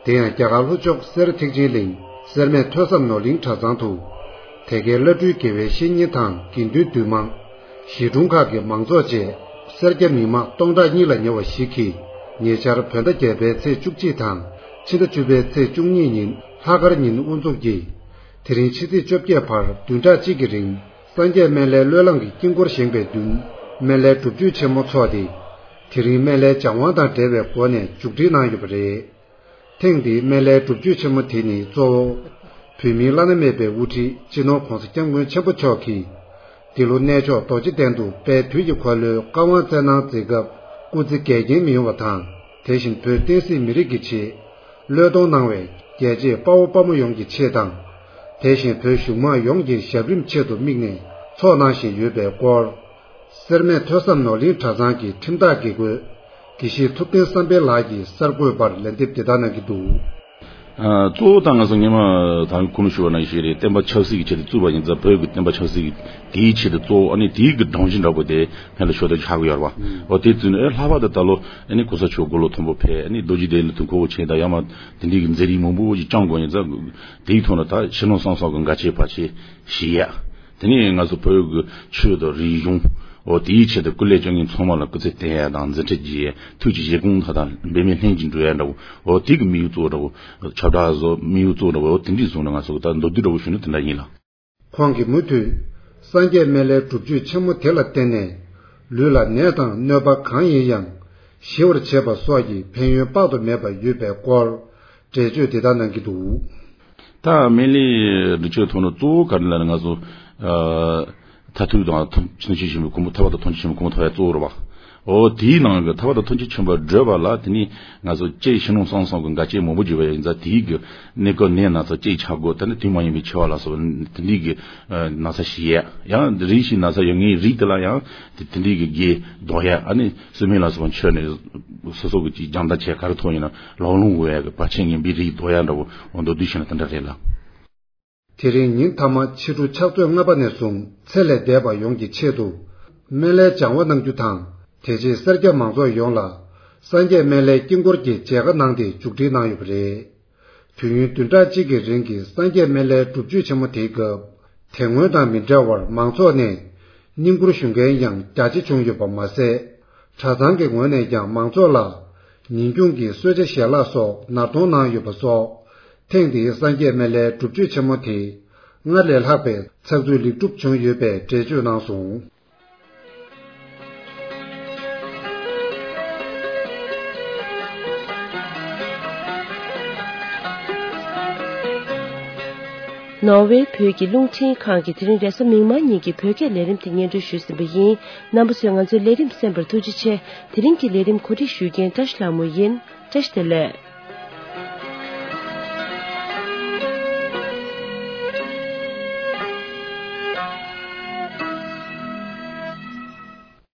དེ་ཡང་རྒྱ་གར་ལྷོ་ཕྱོགས་སེ་ར་ཐེག་ཆེན་གླིང་སེར་སྨད་ཐོས་བསམ་ནོར་གླིང་གྲྭ་ཚང་དུ། དེ་གའི་བླ་སྤྲུལ་དགེ་བའི་བཤེས་གཉེན་དང་དགེ་འདུན་འདུས་མང་། གཞིས་གྲོང་ཁག་གི་མང་ཚོགས་བཅས་སེར་སྐྱ་མི་མང་སྟོང་ཕྲག་གཉིས་ལ་ཉེ་བ་ཞིག་གིས་ཉེ་ཆར་བོད་ཟླ་བརྒྱད་པའི་ཚེས་བཅུ་གཅིག་དང་ཕྱི་ཟླ་བཅུ་པའི་ཚེས་བཅུ་གཉིས་ཉིན་ལྷག་དཀར་ཉིན་དབུ་འཛུགས་ཀྱིས། དེ་རིང་ཕྱི་ཚེས་བཅོ་བརྒྱད་བར་བདུན་ཕྲག་གཅིག་གི་རིང་སངས་རྒྱས་སྨན་བླའི་བློས་བསླངས་ཀྱི་དཀྱིལ་འཁོར་བཞེངས་པའི་མདུན་སྨན་བླའི་སྒྲུབ་མཆོད་ཆེན་མོ་ཚོགས་ཏེ། དེ་རིང་སྨན་བླའི་སྦྱང་དབང་དང་འབྲེལ་བའི་སྒོ་ནས་མཇུག་སྒྲིལ་གནང་ཡོད་པ་རེད། ཐེངས་འདིའི་སྨན་བླའི་སྒྲུབ་མཆོད་ཆེན་མོ་དེ་ནི་གཙོ་བོ་བོད་མིའི་བླ་ན་མེད་པའི་དབུ་ཁྲིད་སྤྱི་ནོར་༧གོང་ས་༧སྐྱབས་མགོན་ཆེན་པོ་མཆོག་གིས་འདི་ལོ་གནས་མཆོག་རྡོ་རྗེ་གདན་དུ་དཔལ་དུས་ཀྱི་འཁོར་ལོའི་བཀའ་དབང་སྩལ་གནང་མཛད་སྐབས་སྐུ་ཚེ་འགལ་རྐྱེན་མི་ཡོང་བ་དང་། དེ་བཞིན་བོད་བསྟན་སྲིད་མི་རིགས་ཀྱི་ཆེད་བློས་གཏོང་གནང་བའི་རྒྱལ་གཅེས་དཔའ་བོ་དཔའ་མོ་ཡོངས་ཀྱི་ཆེད་དང་། དེ་བཞིན་བོད་གཞུང་མང་ཡོངས་ཀྱི་ཞབས་རིམ་ཆེད་དུ་དམིགས་ནས་ཚོགས་གནང་བཞིན་ཡོད་པའི་སྐོར། སེར་སྨད་ཐོས་བསམ་ནོར་གླིང་གྲྭ་ཚང་གི་ཁྲིམས་བདག་དགེ་བསྐོས་དགེ་བཤེས་ཐུབ་བསྟན་བསམ་འཕེལ་ལགས་ཀྱིས་གསར་འགོད་པར་ལན་འདེབས་འདི་ལྟར་གནང་གི་འདུག། ཨ། གཙོ་བོ་ད་ང་ཚོ་སྔོན་མ་ད་ཁུངས་ལུང་ཞུ་བ་ནང་བཞིན་རེད། བསྟན་པ་ཆབ་སྲིད་ཀྱི་ཆེད་དུ་བཙུགས་པ་ཡིན་ཙང་བོད་ཀྱི་བསྟན་པ་ཆབ་སྲིད་ཀྱི་དེའི་ཆེད་དུ་གཙོ་བོ་ཨ་ནི་དེའི་གི་སྒྲོམ་གཞི་འདྲ་པོ་དེ་ཕན་ལ་ཞོ་དོ་ཆགས་ཀྱི་ཡོད་རེད་བ། ཨོ་དེ་བཙུགས་ནས་ཨེ་ལྷག་པར་དུ་ད་ལོ་ཨ་ནི་གོང་ས་མཆོག་དགུང་ལོ་མཐོན་པོ་ཕེབས། ཨ་ནི་རྡོ་རྗེ་གདན་ལ་དུས་འཁོར་ཆེན་དང་ཡང་མ་དེ་འདྲའི་གི་མཛད་རིམ་མང་པོ་ཞིག་བསྐྱངས་དགོས་ཡིན་ཙང་དེའི་ཐོག་ནས་ད་ཕྱི་ནང་གསང་གསུམ་གྱི་འགལ་རྐྱེན་བར་ཆད་ཞི་ཡས། དེ་ནས་ང་ཚོ་བོད་ཀྱི་ཆོས་དང་རིག་གཞུང་། འོ་དེའི་ཆེད་དུ་སྐུ་ལས་བསྐྱོན་མཁན་ཚང་མ་ལ་སྐུ་ཚེ་བརྟན་ཡ་དང་མཛད་འཕྲིན་རྒྱས་ཡ། ཐུགས་ཀྱི་བཞེད་དགོངས་མཐའ་དག་འབད་མེད་ལྷུན་གྱིས་འགྲུབ་ཡ་འདྲ་བོ། འོ་དེ་གི་དམིགས་ཡུལ་གཙོ་བོ་འདྲ་བོ། ཁྱབ་བསྒྲགས་བཟོ་དམིགས་ཡུལ་གཙོ་བོ་འདྲ་བོ། འོ་དེ་འདྲས་བཟུང་ནས་ང་ཚོ་གི་ད་མདོར་བསྡུས་འདྲ་བོ་ཞུས་ན་དེ་འདྲ་ཡིན་ལ། ཁོང་གིས་མུ་མཐུད་སངས་རྒྱས་སྨན་བླའི་སྒྲུབ་མཆོད་ཆེན་མོ་དེ་ལ་བརྟེན་ནས་ལུས་ལ་ནད་དང་གནོད་པ་གང་ཡིན་ཡང་ཞི་བར་བྱེད་པ་སོགས་ཀྱི་ཕན་ཡོན་དཔག་ཏུ་མེད་པ་ཡོད་པའི་སྐོར་འགྲེལ་བརྗོད་འདི་ལྟར་གནང་གི་འདུག། ད་སྨན་བླའི་སྒྲུབ་མཆོད་ཐོག་ནས་གཙོ་བོ་ག་རེ་ལབ་ན་ང་ཚོ་ཨ་མཐར་ཐུག་དང་ཐམས་ཅད་མཁྱེན་པའི་གོ་འཕང་ཐར་པ་དང་ཐམས་ཅད་མཁྱེན་པའི་གོ་འཕང་ཐོབ་ཡ་གཙོ་བོ་རེད་བ། འོ་དེའི་ནང་གི་ཐར་པ་དང་ཐམས་ཅད་མཁྱེན་པ་བགྲོད་པ་ལ་དེ་ནི་ང་ཚོ་གཅིག་ཕྱི་ནང་གསང་གསུམ་གྱི་འགལ་རྐྱེན་མང་པོ་བརྗོད་པ་ཡིན་ཙང་དེའི་གི་གནས་སྐབས་ནད་ན་ཚ་གཅིག་ཆག་སྒོ་ད་ནི་དུས་མ་ཡིན་པའི་འཆི་བ་ལ་སོགས་པ་དེ་འདྲའི་གི་ན་ཚ་ཞི་ཡ། ཡང་རིམ་བཞིན་ན་ཚ་ཡོད་མཁན་རིགས་དེ་ལ་ཡང་དེ་དེ་འདྲའི་གི་དགེ་ཟློག་ཡ། ཨ་ནི་སུ་མེད་ལ་སོགས་པ་མཆོད་ནས་སོ་སོ་གི་ཅིག་སྦྱང་བརྡར་བྱས་ག་རེ་ཐོག་ཡིན་ན་ལོག་ལོང་དགོས་ཡ་གི་བར་ཆད་ངན་པའི་རིགས་ཟློག་ཡ་འདྲ་བོ་འོ་མདོར་བསྡུས་བྱས་ན་དེ་འདྲ་རེད་ལ། དེ་རིང་ཉིན་མཐའ་མ་ཕྱི་དྲོ་ཕྱག་ཚོད་ལྔ་པ་ནས་བཟུང་ཚེ་ལས་འདས་པ་ཡོངས་ཀྱི་ཆེད་དུ་སྨན་བླའི་སྦྱང་བ་གནང་རྒྱུ་དང་། དེ་རྗེས་སེར་སྐྱ་མང་ཚོགས་ཡོངས་ལ་སངས་རྒྱས་སྨན་བླའི་དཀྱིལ་འཁོར་གྱི་མཇལ་ཁ་གནང་སྟེ་མཇུག་སྒྲིལ་གནང་ཡོད་པ་རེད། དུས་ཡུན་བདུན་ཕྲག་གཅིག་གི་རིང་གི་སངས་རྒྱས་སྨན་བླའི་སྒྲུབ་མཆོད་ཆེན་མོ་དེའི་སྐབས་དེ་སྔོན་དང་མི་འདྲ་བར་མང་ཚོགས་ནས་བསྙེན་བཀུར་ཞུ་མཁན་ཡང་རྒྱ་ཆེ་བྱུང་ཡོད་པ་མ་ཟད། གྲྭ་ཚང་གི་ངོས་ནས་ཀྱང་མང་ཚོགས་ལ་ཉིན་གུང་གི་གསོལ་ཇ་ཞལ་ལག་སོགས་ནར་གཏོང་གནང་ཡོད་པ་སོགས། ཐེངས་འདིའི་སངས་རྒྱས་སྨན་བླའི་སྒྲུབ་མཆོད་ཆེན་མོ་དེ་སྔར་ལས་ལྷག་པའི་ཚགས་ཚུད་ལེགས་གྲུབ་བྱུང་ཡོད་པའི་འགྲེལ་བརྗོད་གནང་སོང་། ནོར་ཝེ་བོད་ཀྱི་རླུང་འཕྲིན་ཁང་གིས་དེ་རིང་རེས་གཟའ་མིག་དམར་ཉིན་གྱི་བོད་སྐད་ལས་རིམ་དེ་སྙན་སྒྲོན་ཞུས་ཟིན་པ་ཡིན། རྣམ་པ་ཚོས་ང་ཚོའི་ལས་རིམ་གསན་པར་ཐུགས་རྗེ་ཆེ། དེ་རིང་གི་ལས་རིམ་གོ་སྒྲིག་ཞུ་མཁན་བཀྲ་ཤིས་ལྷ་མོ་ཡིན། བཀྲ་ཤིས་བདེ་ལེགས།